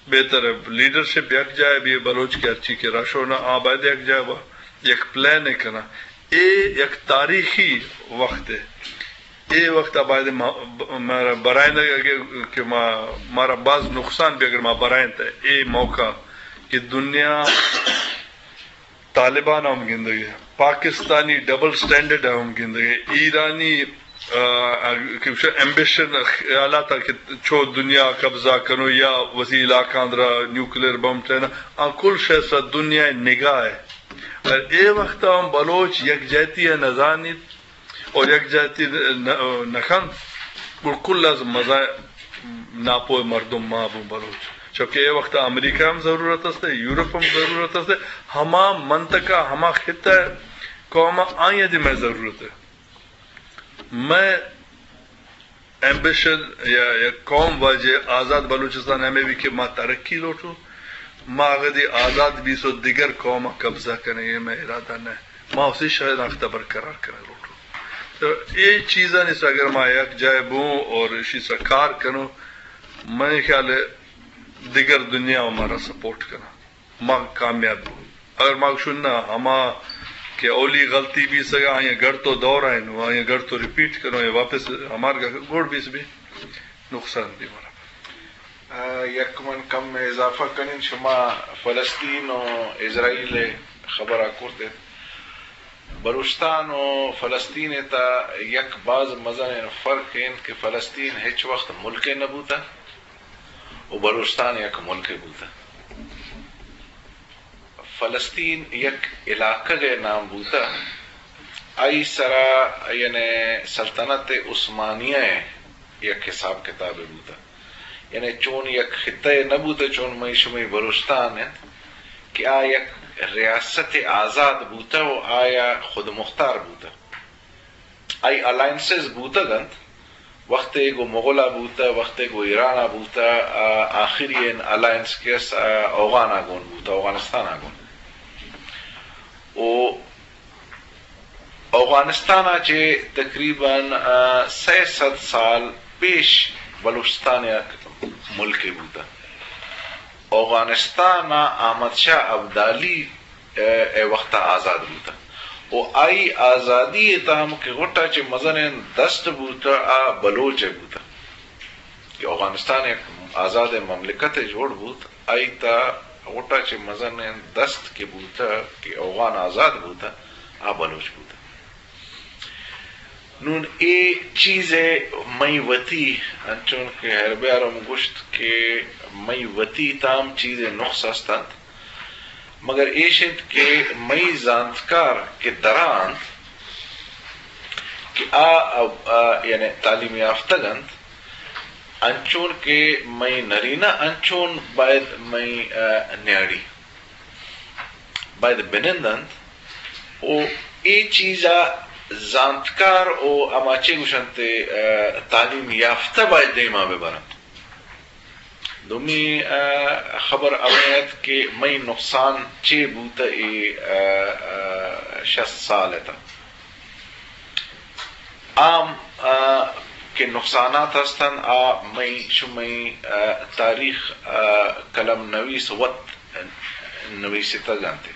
بہتر ہے لیڈرشپ یک جائے بی، بلوچ کہ ہرچی کہ رشو نہ آ باید یک جائے با، یک پلان ہے کنا۔ اے یک تاریخی وقت ہے۔ اے وقت آ باید ما-، مارا برائیں کہ ما، مارا باز نقصان بھی اگر ما برائیں تے اے موقع کہ دنیا طالبان ہم گندگے، پاکستانی ڈبل سٹینڈرڈ ہم گندگے، ایرانی، آ، آ، کہ ایمبیشن خیالات کہ چو دنیا قبضہ کنو یا وسی علاقہ اندرا نیوکلیئر بم ٹینا، آ کل شے سرا دنیا نگاہ ہے۔ اور اے وقت ہم بلوچ یکجہتی ہے نزانیت، اور یک جاتی نہ، نہ کنت، گڑ کل از مزن ناپوہ مردم ما بوں بلوچ۔ چونکہ اے وقت امریکہ ہم ضرورت است، یورپ ہم ضرورت است، ہما منطقہ، ہما خطہ قوم آئی دی مئے ضرورت ہے۔ مئے ایمبیشن یا، یا قوم واجہ آزاد بلوچستان ہمیں بھی کہ ما ترقی لوٹوں، ما اگدی آزاد بیسو دگر قوم قبضہ کنے، یہ مئے ارادہ نہ۔ ما اسی شناخت برقرار کرنا لوٹوں۔ تو اے چیزانی سرا اگر ما یک جائے بوں اور اسی سرا کار کنوں، مئے خیال ہے دگر دنیا ہمارا سپورٹ کنا، ما کامیاب بوں۔ اگر ما گوشوں نہ، ہما کہ اولی غلطی بی سگا، آئی گڑ تو دور آئے نو، آئی گڑ تو ریپیٹ کنو، یہ واپس ہمار گا گوڑ بیس بی، نقصان بی مارا۔ آ، یک من کم اضافہ کنین، شما فلسطین و اسرائیل خبر کرتے۔ بلوچستان و فلسطین تا یک باز مزن فرق انت کہ فلسطین ہچ وقت ملک نہ بوتا و بلوچستان یک ملک بوتا۔ فلسطین یک علاقہ ء نام بوتا، آئی سرا یعنی سلطنت عثمانیہ ء یک حساب کتاب بوتا۔ یعنی چون یک خطہ نہ بوتہ، چون مئی شمئی بلوچستان انت کہ آ یک ریاست آزاد بوتہ و آیا خود مختار بوتہ۔ آئی الائنسز بوتگ انت، وختے گو مغلا بوتہ، وختے گو ایرانا بوتہ، آ، آخری این الائنس کہ است، آ، اوغانا گون بوتہ، اوغانستانا گون۔ و اوغانستان ء چہ تقریباً، آ، سئے سد سال پیش بلوچستان یک ملکے بوتہ۔ اوغانستان ء احمد شاہ ابدالی، آ، اے وقت ء آزاد بوتہ و آئی آزادی ء تام کہ غٹ ء چہ مزنیں دست بوتہ آ بلوچ ء بوتہ۔ کہ اوغانستان یک آزاد مملکت جوڑ بوت، آئی تا غٹ ء چہ مزنیں دست کہ بوتہ کہ اوغان آزاد بوتہ، آ بلوچ بوتہ۔ نون اے چیز ء مئی وتی، انچون کہ ہیربیار ہم گوشت کہ مئی وتی تام چیز نقص است انت، مگر ایش انت کہ مئی زانتکار کہ درا انت کہ آ، آ، آ، یعنی تعلیم یافتگ انت، انچون کہ مئی نرینہ انچون باید مئی، آ، نیاڑی باید بنند انت و اے چیزا زانتکار و ہما چے گوشنت، آ، تعلیم یافتہ باید دیما ببرنت۔ دومی، آ، خبر ہمے ات کہ مئی نقصان چے بوتہ اے، آ، آ، شست سال ءِ تہ۔ عام، آ، کہ نقصانات ہستن، آ مئی شمئی، آ، تاریخ، آ، قلم نویس وت نویستگ انت۔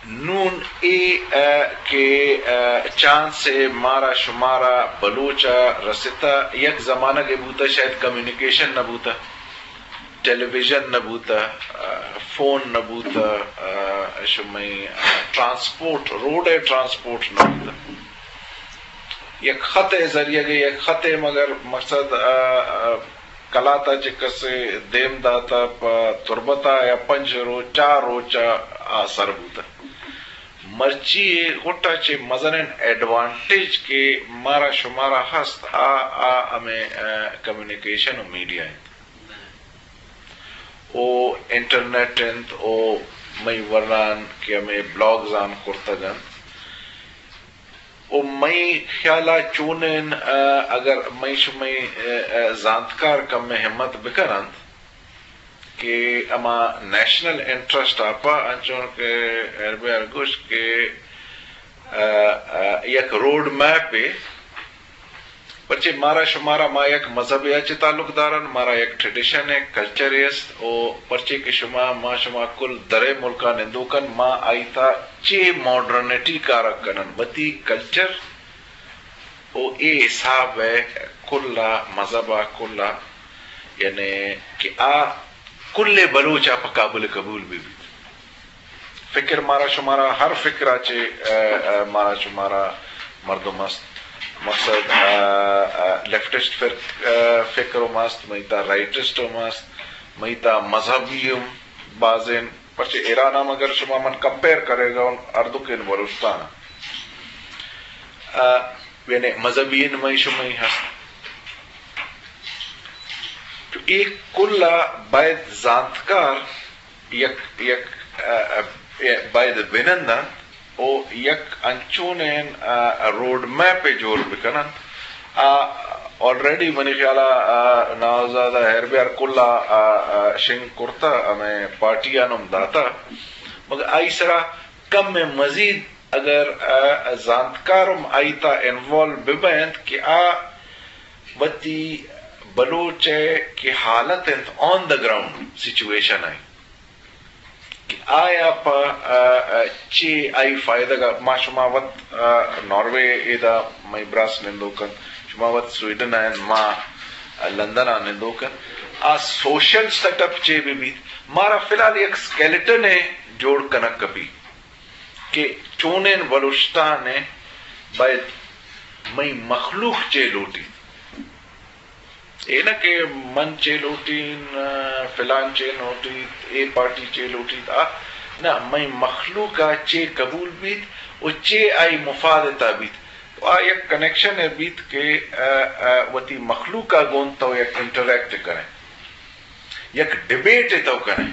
نون اے، آ، کہ، آ، چانس ءَ مارا شمارا بلوچ ءَ رستہ، یک زمانگے بوتہ شاید کمیونیکیشن نہ بوتہ، ٹیلی ویژن نہ بوتہ، آ، فون نہ بوتہ، آ، شمئی، آ، ٹرانسپورٹ، روڈ ءِ ٹرانسپورٹ نہ بوتہ۔ یک خط ءِ ذریعہ گے، یک خط ءِ مگر مقصد، آ، آ، کلات ءَ چہ کسے دیم داتہ پہ تربت ءَ یا پنچ روچ، چار روچ ءَ آ سر بوتہ۔ مرچی اے غٹ ءَ چہ مزنیں ایڈوانٹیج کہ مارا شمارا ہست، آ، آ ہمے، آ، کمیونیکیشن و میڈیا انت۔ او انٹرنیٹ انت، او مئی ورنان کہ ہمے بلاگز آن کرتگ انت۔ و مئی خیال ءَ چونیں، آ، اگر مئی شمئی، آ، آ، زانتکار کمے ہمت بکن انت کہ ہما نیشنل انٹرسٹ ءَ پہ انچون کہ ہیربیار گوشت کہ، آ، آ، یک روڈ میپے، پرچے مارا شمارا ما یک مذہبے ءَ چہ تعلق دارن، مارا یک ٹریڈیشن ءِ کلچرے است، او پرچے کہ شما، ما شما کل درے ملک ءَ نندوکن، ما آئی تھا چے ماڈرنٹی کارگ کنن، وتی کلچر او اے حساب ءَ کل ءَ، مذہب ءَ کل ءَ، یعنی کہ آ کل بلوچ ءَ پہ قابل قبول بہ بیت۔ فکر مارا شمارا ہر فکر ءَ چہ، آ، آ، مارا شمارا مردم است۔ مقصد، آ، آ، لیفٹسٹ فر-، آ، فکر ہم است، مئی تھا رائٹسٹ ہم است، مئی تھا مذہبی ہم بازیں، پرچہ ایران ہم اگر شما من کمپیئر کرے گا، ہردوکیں بلوچستان، آ، یعنی مذہبی نمائش ہم ہست۔ تو اے کل ءَ باید زانتکار یک، یک، آ، آ، باید بنندنت او یک انچونیں، آ، روڈ میپے جوڑ بکننت۔ آ، آلریڈی منی خیال ءَ، آ، نوزاد ہیربیار کل ءَ، آ، آ، شنگ کرتہ، ہمے پارٹی آن ہم داتہ۔ مگر آئی سرا کم مزید اگر، آ، زانتکار ہم آئی تھا انوالو ببینت کہ آ وتی بلوچ ءِ کہ حالت انت آن دا گراؤنڈ سچویشن ءِ، کہ آیا پہ، آ، آ، چے آئی فائدگ ءَ، ما شما وت، آ، ناروے ایدا مئی براس نندوک انت، شما وت سویڈن ءَ انت، ما لندن ءَ نندوک انت۔ آ سوشل سیٹ اپ چے بہ بیت، مارا فی الحال یک اسکیلٹن ءِ جوڑ کنگ کپی کہ چونیں بلوچستان ءَ باید مئی مخلوق چے لوٹیت۔ اے نہ کہ من چے لوٹین، فلان چے لوٹیت، اے پارٹی چے لوٹیت، آ نہ، مئی مخلوق ءَ چے قبول بیت و چے آئی مفاد ءِ تہا بیت۔ تو آ یک کنیکشن ءَ بیت کہ، آ، آ، وتی مخلوق ءَ گوں تو یک انٹریکٹ کنئے، یک ڈیبیٹ ءَ تو کنئے۔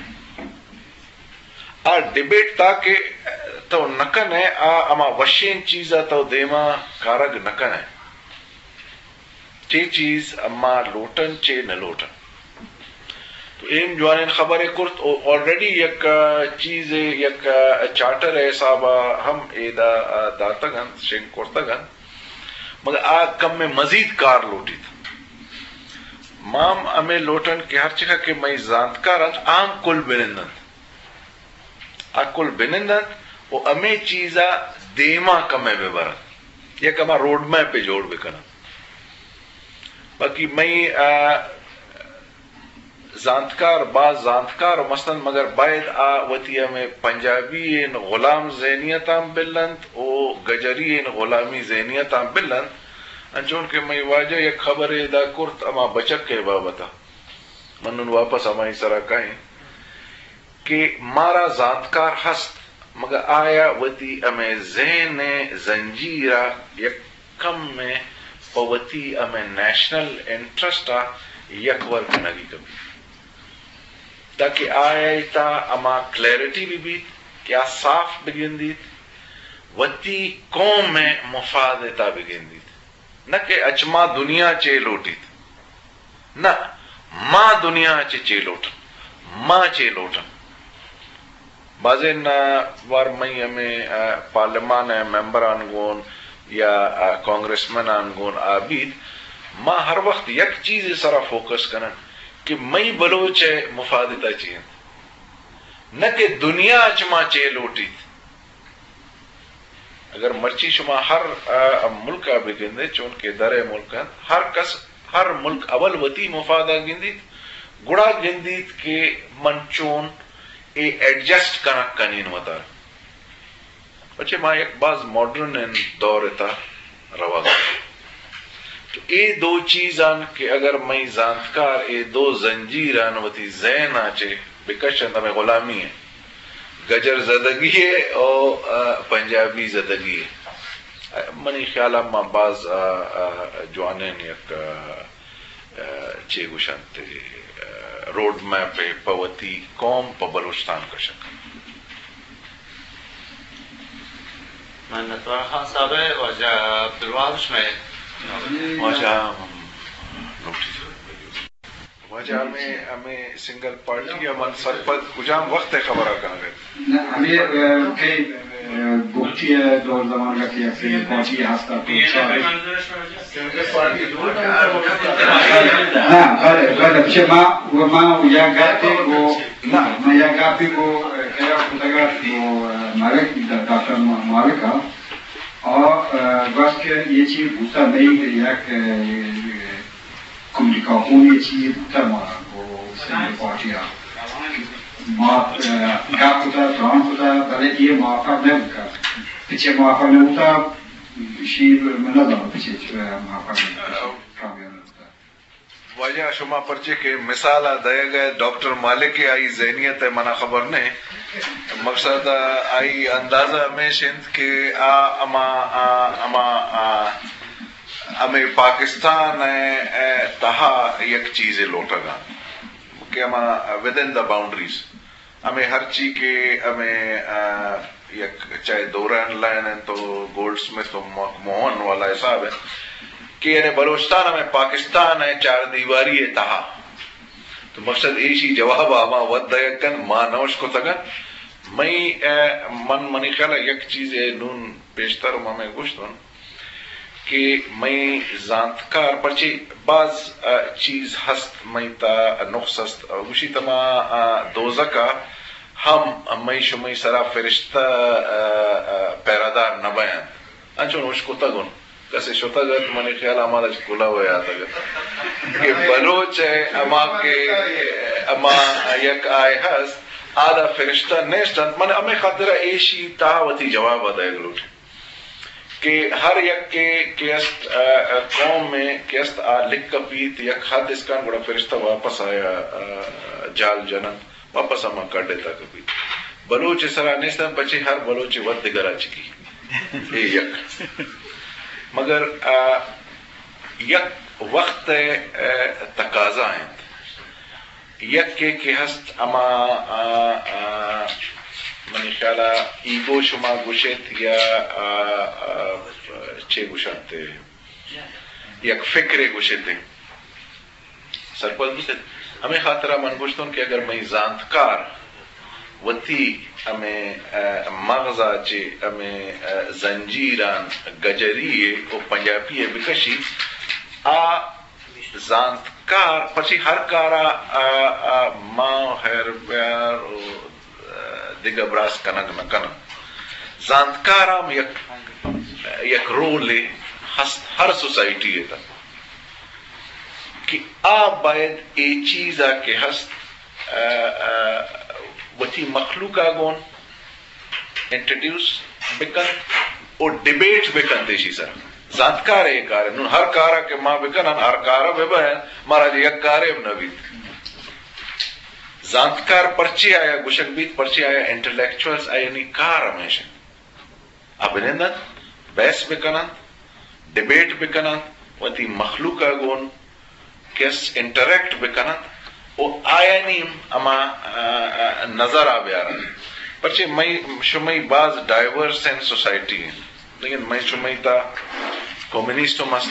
آ ڈیبیٹ تاکہ تو نہ کنئے، آ ہما وشیں چیز ءَ تو دیما کارگ نہ کنئے۔ چے چیز ما لوٹن، چے نہ لوٹن۔ تو ایم جوانیں خبرے کرت، او آلریڈی یک، آ، چیزے، یک، آ، چارٹر ءِ حساب ءَ ہم ایدا، آ، داتگ انت، شنگ کرتگ انت۔ مگر آ کمے مزید کار لوٹیت۔ ما ہم ہمے لوٹن کہ ہر چکا کہ مئی زانتکار انت، آ ہم کل بنند انت۔ آ کل بنند انت و ہمے چیز ءَ دیما کمے بہ برنت۔ یک ہما روڈ میپے جوڑ بہ کننت۔ باقی مئی، آ، زانتکار، باز زانتکار ہم است انت، مگر باید آ وتی ہمے پنجابی ئیں غلام ذہنیت آں بل انت و گجری ئیں غلامی ذہنیت آں بل انت۔ انچون کہ مئی واجہ یک خبرے ادا کرت ہما بچک ءِ بابت ءَ، من نون واپس ہمائی سرا کائیں کہ مارا زانتکار ہست، مگر آیا وتی ہمے ذہن ءِ زنجیر ءَ یک کمے پہ وتی ہمے نیشنل انٹرسٹ ءَ یکور کنگی کپی، تاکہ آئی تہا ہما کلیئرٹی بہ بیت کہ آ صاف بگندیت، وتی قوم ءِ مفاد ءِ تہا بگندیت، نہ کہ اچ ما دنیا چے لوٹیت۔ نہ، ما دنیا ءَ چہ چے لوٹن؟ ما چے لوٹن؟ بازیں، آ، وار مئی ہمے، آ، پارلیمان ءِ ممبران گون یا، آ، کانگریس منان گون آ بیت، ما ہر وقت یک چیزے سرا فوکس کنن کہ مئی بلوچ ءِ مفاد ءِ تہا چی انت، نہ کہ دنیا ءَ چہ ما چے لوٹیت۔ اگر مرچی شما ہر، آ، ملک ءَ بگندے، چون کہ در ءِ ملک انت، ہر کس، ہر ملک اول وتی مفاد ءَ گندیت، گڑا گندیت کہ من چون اے ایڈجسٹ کنگ کنین وتارا۔ پچے ما یک باز ماڈرن دور ءِ تہا روگ ءَ۔ تو اے دو چیزان کہ اگر مئی زانتکار اے دو زنجیران وتی ذہن ءَ چہ بکشنت، ہمے غلامی ءِ، گجر زدگی ءِ او، آ، پنجابی زدگی ءِ۔ منی خیال ءَ ما باز، آ، آ، جوانیں یک، آ، آ، چے گوشنت، آ، روڈ میپ ءَ پہ وتی قوم، پہ بلوچستان کشگ۔ منتوار خان صاحب ءِ، واجہ عبدالوہاب شمئے۔ واجہ، ہم، لوٹی۔ واجہ ہمے، ہمے سنگل پارٹی ءَ من سرپد کجام وقت ءِ خبر ءَ کنگ ءَ؟ نہ، ہمے، آ، کئی، آ، بگٹی ءِ دور زمانگ ءَ کہ یک سنگل پارٹی ہست ات تو چار۔ ہاں، بلے، بلے، چہ ما، ما یا گپے گو، نہ، ما یا گپے گو، آ، کیا کتگ ات گو، آ، مالک، ڈاکٹر مالک ءَ، آ، گوشت کہ یہ چیز بوتا نہیں کہ یک، آ، کمیونیکاسیون ءِ چیزے بوتگ مارا گوں سندھ پارٹی ءَ۔ ما، آ، گپ کتگ، تران کتگ، بلے اے موافق نہ بوتگ۔ پچے موافق نہ بوتگ، شی من نہ زاناں پچے موافق نہ بوتگ، کامیاب نہ بوتگ۔ واجہ شما پرچے کہ مثال ءَ دئیگ ءَ ڈاکٹر مالک ءِ آئی ذہنیت ءِ منا خبر نہ۔ مقصد آئی اندازہ ہمیش انت کہ آ ہما، آ ہما، آ، ہمے پاکستان ءِ، ءِ تہا یک چیزے لوٹگ ءَ کہ ہما within the boundaries، ہمے ہرچی کہ ہمے، آ، یک چاہے دوران لائن انت تو گولڈ سمتھ و مک موہن والا حساب انت کہ یعنی بلوچستان ہمے پاکستان ءِ چار دیواری ءِ تہا۔ تو مقصد ایشی جواب ءَ ہما وت دئیگ کنت، ما نہ اشکتگ انت۔ مئی، آ، من، منی خیال ءَ یک چیزے نون پیشتر ہمے گوشت انت کہ مئی زانتکار پرچے باز، آ، چیز ہست، مئی تہا نقص ہست۔ آ، گوشیت ہما، آ، دوزک ءَ ہم مئی شمئی سرا فرشتہ، آ، آ، پہرہ دار نہ بینت۔ انچو نوش کتگ انت۔ کسے شتگ ات، منی خیال ءَ ہمارا کلوہ ءَ یاتگ ات کہ بلوچ ءِ ہما کہ ہما یک آئے ہست، آدا فرشتہ نیست انت۔ من ہمے خاطر ءَ ایشی تہا وتی جواب ءَ دئیگ لوٹیں کہ ہر یکے کہ است، آ، آ، قوم ءِ کہ است، آ لکھ کپیت، یک حد اسکان گڑا فرشتہ واپس آیا، آ، جال جننت۔ واپس ہما کڈ ءِ تہا کپیت۔ بلوچ ءِ سرا نیست انت، پچے ہر بلوچ ءِ وت دگرا چکی۔ اے یک۔ مگر، آ، یک وقت ءِ، آ، تقاضا انت۔ یکے کہ ہست ہما، آ، آ، منی خیال ءَ ایگو شما گوشیت یا، آ، آ، چے گوشنت، یک فکرے گوشیت۔ سرپد بوتت۔ ہمے خاطر ءَ من گوشتون کہ اگر مئی زانتکار وتی ہمے، آ، مغز ءَ چہ ہمے، آ، زنجیران گجری ءِ و پنجابی ءِ بکشی، آ زانتکار پرچی ہر کار ءَ، آ، آ، ما خیر بیار و، آ، دگہ براس کنگ نہ کناں۔ زانتکار ہم یک، یک رولے ہست ہر سوسائٹی ءِ تہا۔ کہ آ باید اے چیز ءَ کہ ہست، آ، آ، وتی مخلوق ءَ گون انٹروڈیوس بکنت و ڈیبیٹ بکنت ایشی سرا۔ زانتکار ءِ اے کار انت۔ نون ہر کار ءَ کہ ما بکنن، ہر کار ءَ ببین، مارا چہ یک کارے ہم نہ بیت۔ زانتکار پرچے آیا گوشگ بیت، پرچے آیا انٹلیکچوئلز، آیانی کار ہمیش انت۔ آ بنند انت، بحث بکن انت، ڈیبیٹ بکن انت، وتی مخلوق ءَ گون کس انٹریکٹ بکن انت و آیانی ہما، آ، آ، نظر ءَ بیار انت۔ پرچے مئی شمئی باز ڈائیورس ان سوسائٹی انت، لیکن مئی شمئی تہا کمیونسٹ ہم است،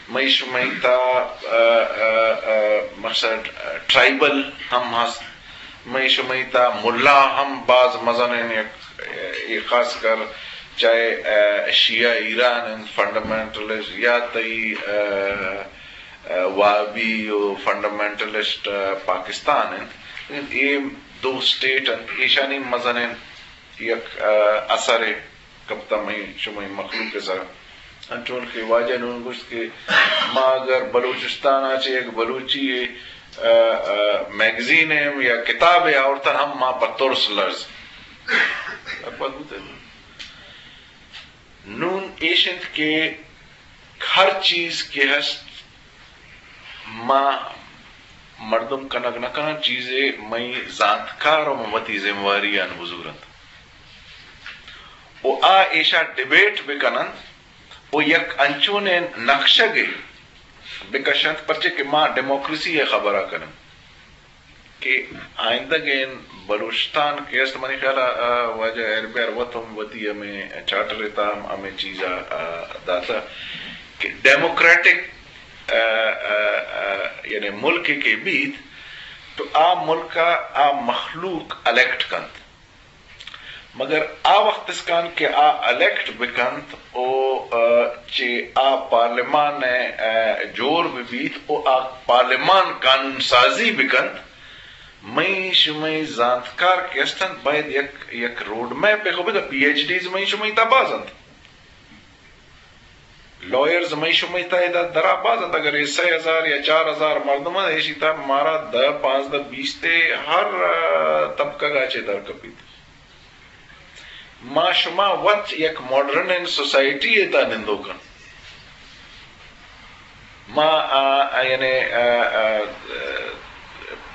مئی شمئی تا، ا، ا، ا، مقصد، ا، ٹرائبل ہم ہست۔ مئی شمئی تا ملا ہم باز مزنیں یک، اے خاص کر چاہے، ا، شیعہ ایران انت، فنڈامنٹلسٹ یا تئی، ا، ا، وہابی و فنڈامنٹلسٹ، ا، پاکستان انت۔ اے دو سٹیٹ انت، ایشانی مزنیں یک، ا، اثرے کپتہ مئی شمئی مخلوق ءِ سرا۔ انچون کہ واجہ نون گوشت کہ ما اگر بلوچستان ءَ چہ یک بلوچی، ا، ا، میگزین ءَ یا کتابے آورتن ہم ما پہ ترس لرز۔ نون ایش انت کہ ہر چیز کہ ہست ما مردم کنگ نہ کناں، چیزے مئی زانتکار و وتی ذمہ واری آن بزور انت و آ ایشا ڈیبیٹ بکن انت و یک انچونیں نقشگے بکش انت، پرچے کہ ما ڈیموکریسی ءِ خبرا کنیں کہ آئندگیں بلوچستان کہ است، منی خیال ءَ، آ، واجہ ایر بیار وت ہم وتی ہمے چارٹر ءِ تہا ہم ہمے چیز ءَ، آ، داتہ کہ ڈیموکریٹک، آ، آ، آ، یعنی ملک کہ بیت تو آ ملک ءَ آ مخلوق الیکٹ کنت۔ مگر آ وخت اسکان کہ آ الیکٹ بکنت و، آ، چہ آ پارلیمان ءَ، آ، جوڑ بہ بیت و آ پارلیمان قانون سازی بکنت، مئی شمئی زانتکار کہ استنت باید یک، یک روڈ میپ خو بدا، پی ایچ ڈیز مئی شمئی تا باز انت۔ لائرز مئی شمئی تا ادا درا باز انت، اگر اے سئے ہزار یا چار ہزار مردم انت، ایشی تا مارا دہ، پانزدہ، بیست ءِ ہر، آ، طبقہ گا چہ در کپیت۔ ما شما وت یک ماڈرن سوسائٹی ءِ تا نندوکن۔ ما، آ، آ، یعنی، آ، آ،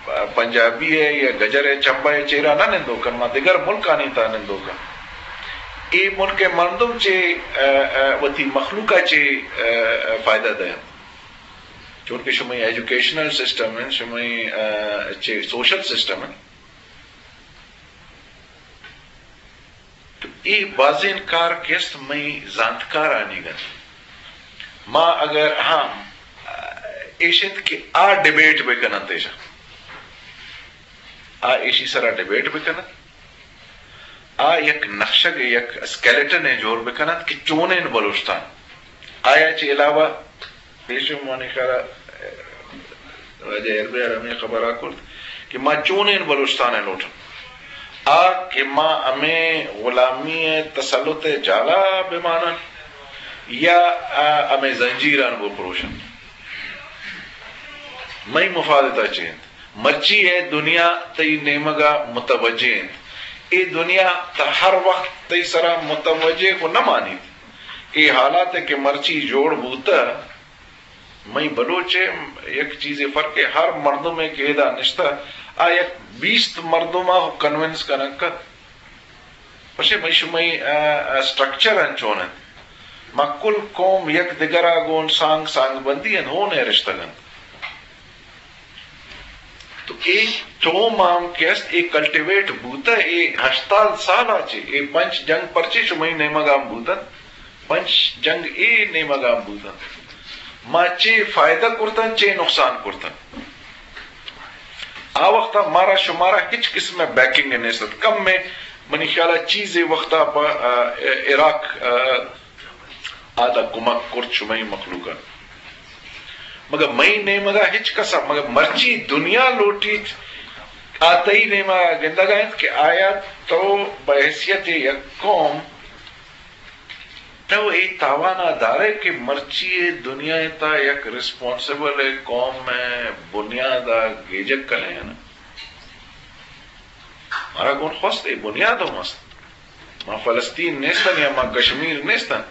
آ، پنجابی ءِ یا گجر ءِ چمبہ ءِ چیرا نہ نندوکن، ما دگر ملکانی تا نندوکن۔ اے ملک ءِ مردم چہ، آ، آ، وتی مخلوق ءَ چہ، آ، آ، فائدہ دئینت۔ چونکہ شمئی ایجوکیشنل سسٹم انت، شمئی، آ، چہ سوشل سسٹم انت۔ تو اے بازیں کار کہ است مئی زانتکارانی گند۔ ما اگر ہم، آ، ایش انت کہ آ ڈیبیٹ بکننت ایشا۔ آ ایشی سرا ڈیبیٹ بکننت۔ آ یک نقشگ، یک اسکیلٹن ءِ جوڑ بکننت کہ چونیں بلوچستان۔ آیا چہ علاوہ پیشو منی خیال ءَ واجہ اربیار ہمے خبر ءَ کرت کہ ما چونیں بلوچستان ءَ لوٹن، آ کہ ما ہمے غلامی ءِ تسلط ءِ جالا بمانن یا، آ، ہمے زنجیران بپروشن۔ مئی مفاد تا چی انت؟ مرچی اے دنیا تئی نیمگا متوجہ انت۔ اے دنیا تا ہر وقت تئی سرا متوجہ کو نہ مانیت۔ اے حالات کہ مرچی جوڑ بوتہ، مئی بلوچ ءِ یک چیزے فرق ءِ، ہر مردمے کہ ادا نشتہ، آ یک بیست مردم ءَ کنونس کنگ کت۔ پشے مئی شمئی، آ، آ، سٹرکچر انچون انت۔ ما کل قوم یک دگرا گون سانگ، سانگ بندی انت، ہون ءِ رشتگ انت۔ تو اے ٹوم آم کہ است، اے کلٹیویٹ بوتہ، اے ہشتاد سال ءَ چہ، اے پنچ جنگ پرچے شمئی نیمگ آم بوتن، پنچ جنگ اے نیمگ آم بوتن۔ ما چے فائدہ کرتن، چے نقصان کرتن۔ آ وقت ءَ مارا شمارا ہچ قسم ءِ بیکنگ نیست ات۔ کم ءَ منی خیال ءَ چیزے وقت ءَ پہ، آ، عراق، آ، آ دا کمک کرت شمئی مخلوق ءَ۔ مگر مئی نیمگ ءَ ہچ کس ءَ، مگر مرچی دنیا لوٹیت، آ تئی نیمگ ءَ گندگ ءَ انت کہ آیا تو بحیثیت یک قوم تو اے تاوان ءَ دارئے کہ مرچی اے دنیا ءِ تا یک ریسپانسبل قوم ءِ بنیاد ءَ گیجگ کنئے نا؟ مارا گون خواست اے بنیاد ہم است۔ ما فلسطین نیستن یا ما کشمیر نیستن۔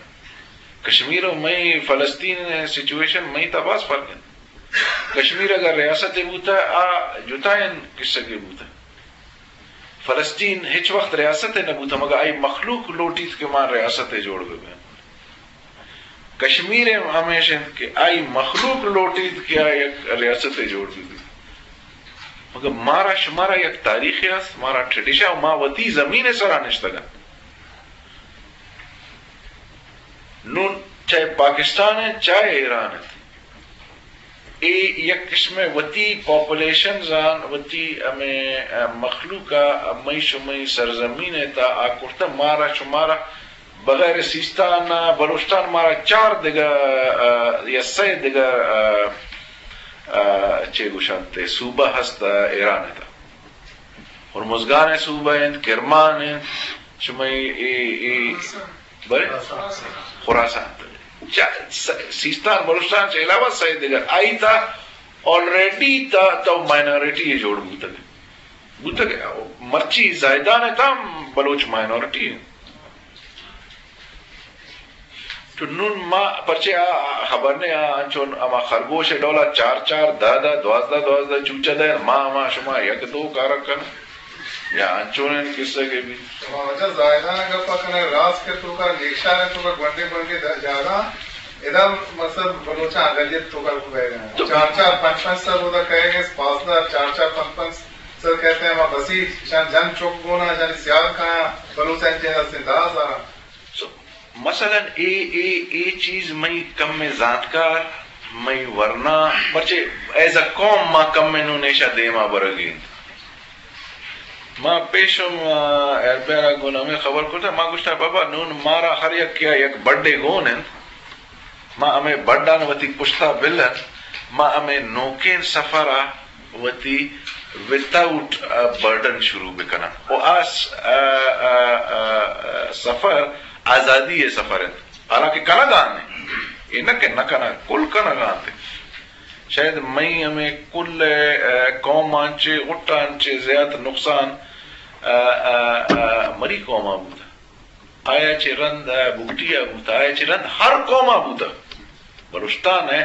کشمیر و مئی فلسطین سچویشن مئی تا باز فرق انت۔ کشمیر اگر ریاست بوتا، آ جتائیں قصہ کے بوتا۔ فلسطین ہچ وقت ریاست نہ بوتا، مگر آئی مخلوق لوٹیت کہ ما ریاست جوڑ ببیں۔ کشمیر ہم ہمیش انت کہ آئی مخلوق لوٹیت کہ آ یک ریاست جوڑ ببیت۔ مگر مارا شمارا یک تاریخے است، مارا ٹریڈیشن، ما وتی زمین سرا نشتگن۔ نون چاہے پاکستان انت، چاہے ایران انت، اے یک قسمے وتی پاپولیشنز آں، وتی ہمے، ا، مخلوق ءَ مئی شمئی سرزمین ءِ تہا آ کرتہ، مارا شمارا بغیر سیستان ءَ بلوچستان مارا چار دگہ، ا، یا سئے دگہ، ا، ا، چے گوشنت، صوبہ ہست، ا، ایران ءِ تہا۔ ہرمزگان ءِ صوبہ انت، کرمان انت، شمئی اے، اے، بلے؟ خراسان۔ چا-، س-، سیستان بلوچستان چہ علاوہ سئے دگہ۔ آئی تہا آلریڈی تہا تو مائنارٹی جوڑ بوتگ۔ بوتگ، مرچی زاہدان ءِ تہا ہم بلوچ مائنارٹی انت۔ تو نون ما پرچے آ خبر نے آ انچون ہما خرگوش ءِ ڈولا چار چار، دہ دہ، دوازدہ دوازدہ چوچہ دئے، ما ہما شما یک دو کارا کن یا انچونیں قصہ کہ بیت۔ شما واجہ زاہدان ءِ گپا کنئے، راست کہ توکا نیکشار ءِ توکا گونڈیں گونڈیں د-، جاگہ ادا مثلا بلوچاں اقلیت توکا بیگ ءَ۔ تو چار چار پنچ پنچ سر اودا کئیگ ءَ، پانزدہ، چار چار پنچ پنچ سر کئیت، ہما بسیج، اشان جن چک گون آں، اشانی سیال کایاں، بلوچاں جن ہستیں دہ ہزار آں۔ سو، مثلا اے، اے، اے چیز مئی کمیں زانتکار، مئی ورنا، پرچے ایز اے قوم ما کمیں نون ایشا دیما برگی انت۔ ما پیشم، آ، ایربیرا گون ہمے خبر کرتا، ما گوشتا، بابا، نون مارا ہر یکیا یک بڈے گون انت، ما ہمے بڈان وتی پشتا بلن، ما ہمے نوکیں سفرا وتی وداؤٹ، آ، برڈن شروع بکناں۔ و آ س-، آ، آ، آ، آ، سفر آزادی ءِ سفر انت۔ حالانکہ کنگا انت۔ اے نہ کہ نہ کنگ، کل کنگا انت۔ شاید مئی ہمے کل، آ، قوم آنچے، غٹ آنچے زیات نقصان، آ، آ، آ، مری قوم آ بوتا۔ آیا چہ رند، آ، بگٹی ءَ بوت، آیا چہ رند ہر قوم ءَ بوت۔ بلوچستان ءَ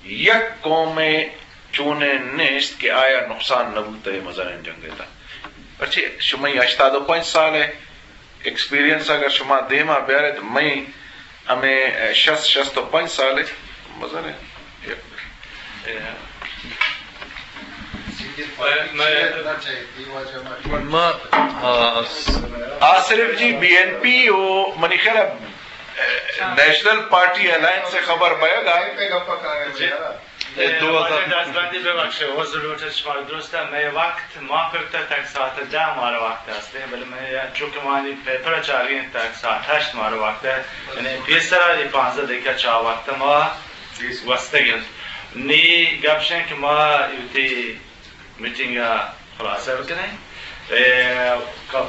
یک قومے چونیں نیست کہ آیا نقصان نہ بوت اے مزنیں جنگ ءِ تہا۔ پرچے شمئی ہشتاد و پنچ سال ءِ ایکسپیرینس اگر شما دیما بیارت، مئی ہمے شست، شست و پنچ سال ءِ مزنیں یک ما، آ، آ صرف جی بی این پی و منی خیال ءَ، اے، نیشنل پارٹی الائنس ءِ خبر بئیگ ءَ۔ اے دو ہزار۔ دستبندی ببخشے، عذر لوٹت شما درست ءَ، مئے وقت ما کرتا تک ساعت دہ مارا وقت است، بلے مئے چونکہ مانی پیپر چاری انت تک ساعت ہشت مارا وقت ہے، یعنی پیسرا اے پانزدہ دقیقہ چا وقت ما گوستگ انت۔ نی گپ شیں کہ ما وتی میٹنگ ءَ خلاصہ بکنیں۔ اے،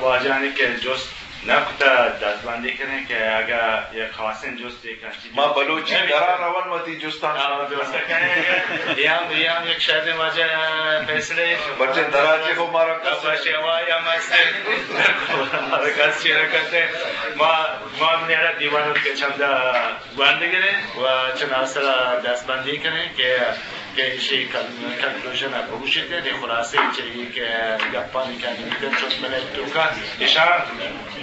واجہانی کہ جست نہ کتہ دستبندی کنیں کہ اگہ یک خاصیں جستے کنچی ما بلوچی درا رون وتی جستان آ، شما جست کنیں۔ اے ہم، اے ہم یک شریں واجہ فیصلے۔ بچے درا چے ہو مارا کس بچے ہوا یا مست۔ مارا کس چی نہ کرتے۔ ما، ما میرا دیوان کے چندہ گوانڈ گریں و چناسرا دستبندی کنیں کہ، کہ ایشی کن-، کنکلوژن ءَ بگوشیت، یعنی خلاصہ چہ اے کہ گپانی کہ بیتن چوت منٹ توکا ایشان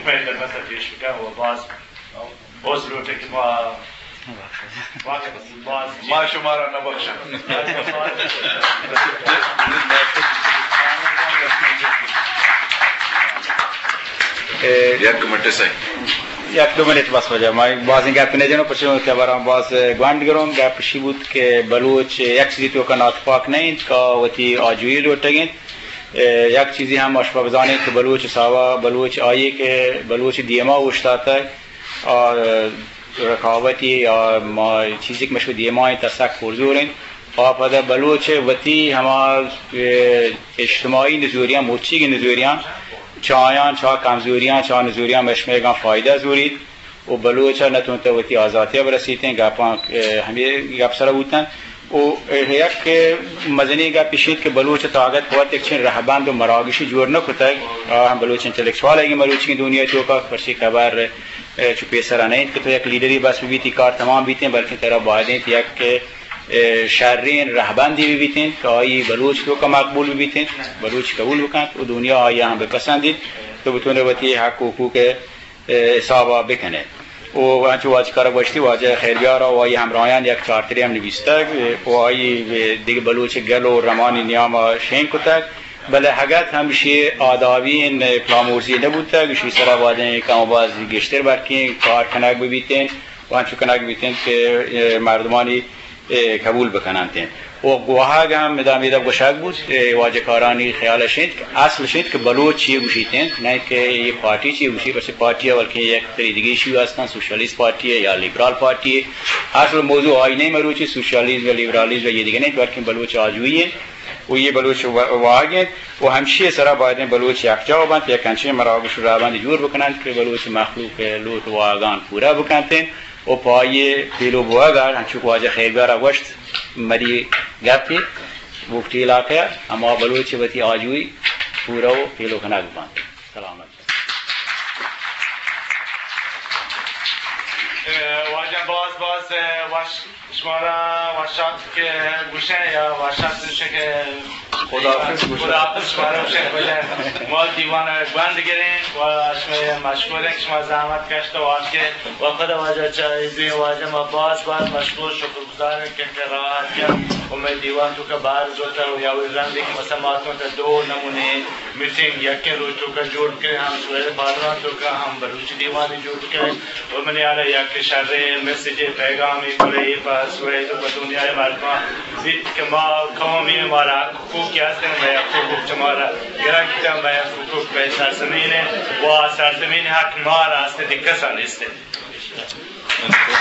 مئے خدمت ءَ پیش بکن و باز عذر لوٹیں کہ ما، ما شمارا نہ بخشاں۔ یک منٹ سائیں۔ یک دو منٹ بس واجہ، ما بازیں گپ نہ جنوں، پرچہ کہ براں باز گوانڈ گروں۔ گپ اشی بوت کہ بلوچ یک چیزی توکا ناتپاک نہ انت کہ وتی آجوئی لوٹگ انت۔ یک چیزی ہم اشما بزانیں کہ بلوچ حسابا بلوچ آئی کہ بلوچ دیما اوشتاتگ، آ، رقابتی یا ما چیزی کہ مشو دیما انت سک پرزور انت۔ آ پدا بلوچ وتی ہما، اے، اجتماعی نزوریاں، مچیگ نزوریاں، چایاں، چا کمزوریاں، چا نزوریاں مشمیگاں فائدہ زوریت و بلوچ ءَ نہ تونتہ وتی آزاتی ءَ برسیتیں۔ گپاں، اے، ہمے گپ سر بوتن۔ و یک مزنیں گپ اشیت کہ بلوچ ءِ تاگت وت یک چین رہبند و مراگشی جوڑ نہ کتگ۔ آ ہم بلوچ انٹلیکچوال ءِ مروچی دنیا توکا پرچے خبر، اے، چو پیسرا نہ انت کہ تو یک لیڈری بس ببیت، کار تمام بیتیں، بلکیں ترا باید انت یک، اے، شرین رہبندی ببیت انت کہ آئی بلوچ توکا مقبول ببیت انت، بلوچ قبول بکنت و دنیا آئی ہم بپسندیت، تو بتونے وتی حق و حقوق اے، حسابا بکنئے۔ و انچو واجہ کارا گوشتی، واجہ خیر بیارا و آئی ہمراہیان یک چارترے ہم نویستگ و آئی دگہ بلوچ گل و رمانی نیاما شنگ کتگ، بلے ہگت ہمشی آدابین پلامورزی نبوتگ، اشی سرا بایدیں کم و باز گیشتر بلکیں کار کنگ ببیتیں و انچو کنگ بیتیں کہ مردمانی قبول بکننتیں۔ و گواہگ ہم ادا میدہ گوشگ بوت، اے واجہ کارانی خیال اش انت کہ اصل اش انت کہ بلوچ چی گوشیت انت، نہ کہ اے پارٹی چی گوشیت، پرچہ پارٹی ء بلکیں یک تری دگہ ایشو ہستن، سوشلسٹ پارٹی ء یا لیبرال پارٹی ء۔ اصل موضوع آئین ء مروچی سوشلزم و لیبرالیزم و یہ دگہ نہیں، بلکیں بلوچ آجوئی انت و یہ بلوچ وا-، واہگ انت و ہمشی سرا باید انت بلوچ یکجا بنت، یک انچیں مراگش و رہبند جوڑ بکننت کہ بلوچ مخلوق ء لوٹ واہگان پورا بکنت انت۔ و پہ آئی ء پیلو بوگ ء، انچو کہ واجہ خیرگار ء گوشت، مری گپے بگٹی علاقہ ء ہما بلوچ وتی آجوئی پورہ و پیلو کنگ بنت۔ سلامت۔ اے، واجہ باز باز، اے، وش، شمارا وشات کہ گوشیں یا وشات گوشیں کہ خداحافظ گوشیں۔ خداحافظ شمارا گوشیں، گوشیں۔ ما دیوان ء گوند گریں و شمئے مشکور ہیں کہ شما زحمت کشت و آتکے و خدا واجہ چا دوی واجہ ما باز باز مشکور شکر گزار ہیں کہ کہ راہ آتکے و مئے دیوان تو کہ بار زوتا و یا وی رندی کہ مثلا ما تو تا دو نمونے میٹنگ یکیں روچ تو کہ جوڑ کریں، ہم سویل پارلمان تو کہ ہم بلوچی دیوانی جوڑ کریں۔ و منی حالا یک شریں میسجے پیغامے گڑے اے پہ سویل و پہ دنیائے مردمان بیت کہ ما قومی مارا حقوق کہ ہستن، مئے حقوق چہ مارا گرگ بیتن، مئے حقوق مئے سرزمین انت و آ سرزمین حق مارا ہست، دگہ کسا نیست انت۔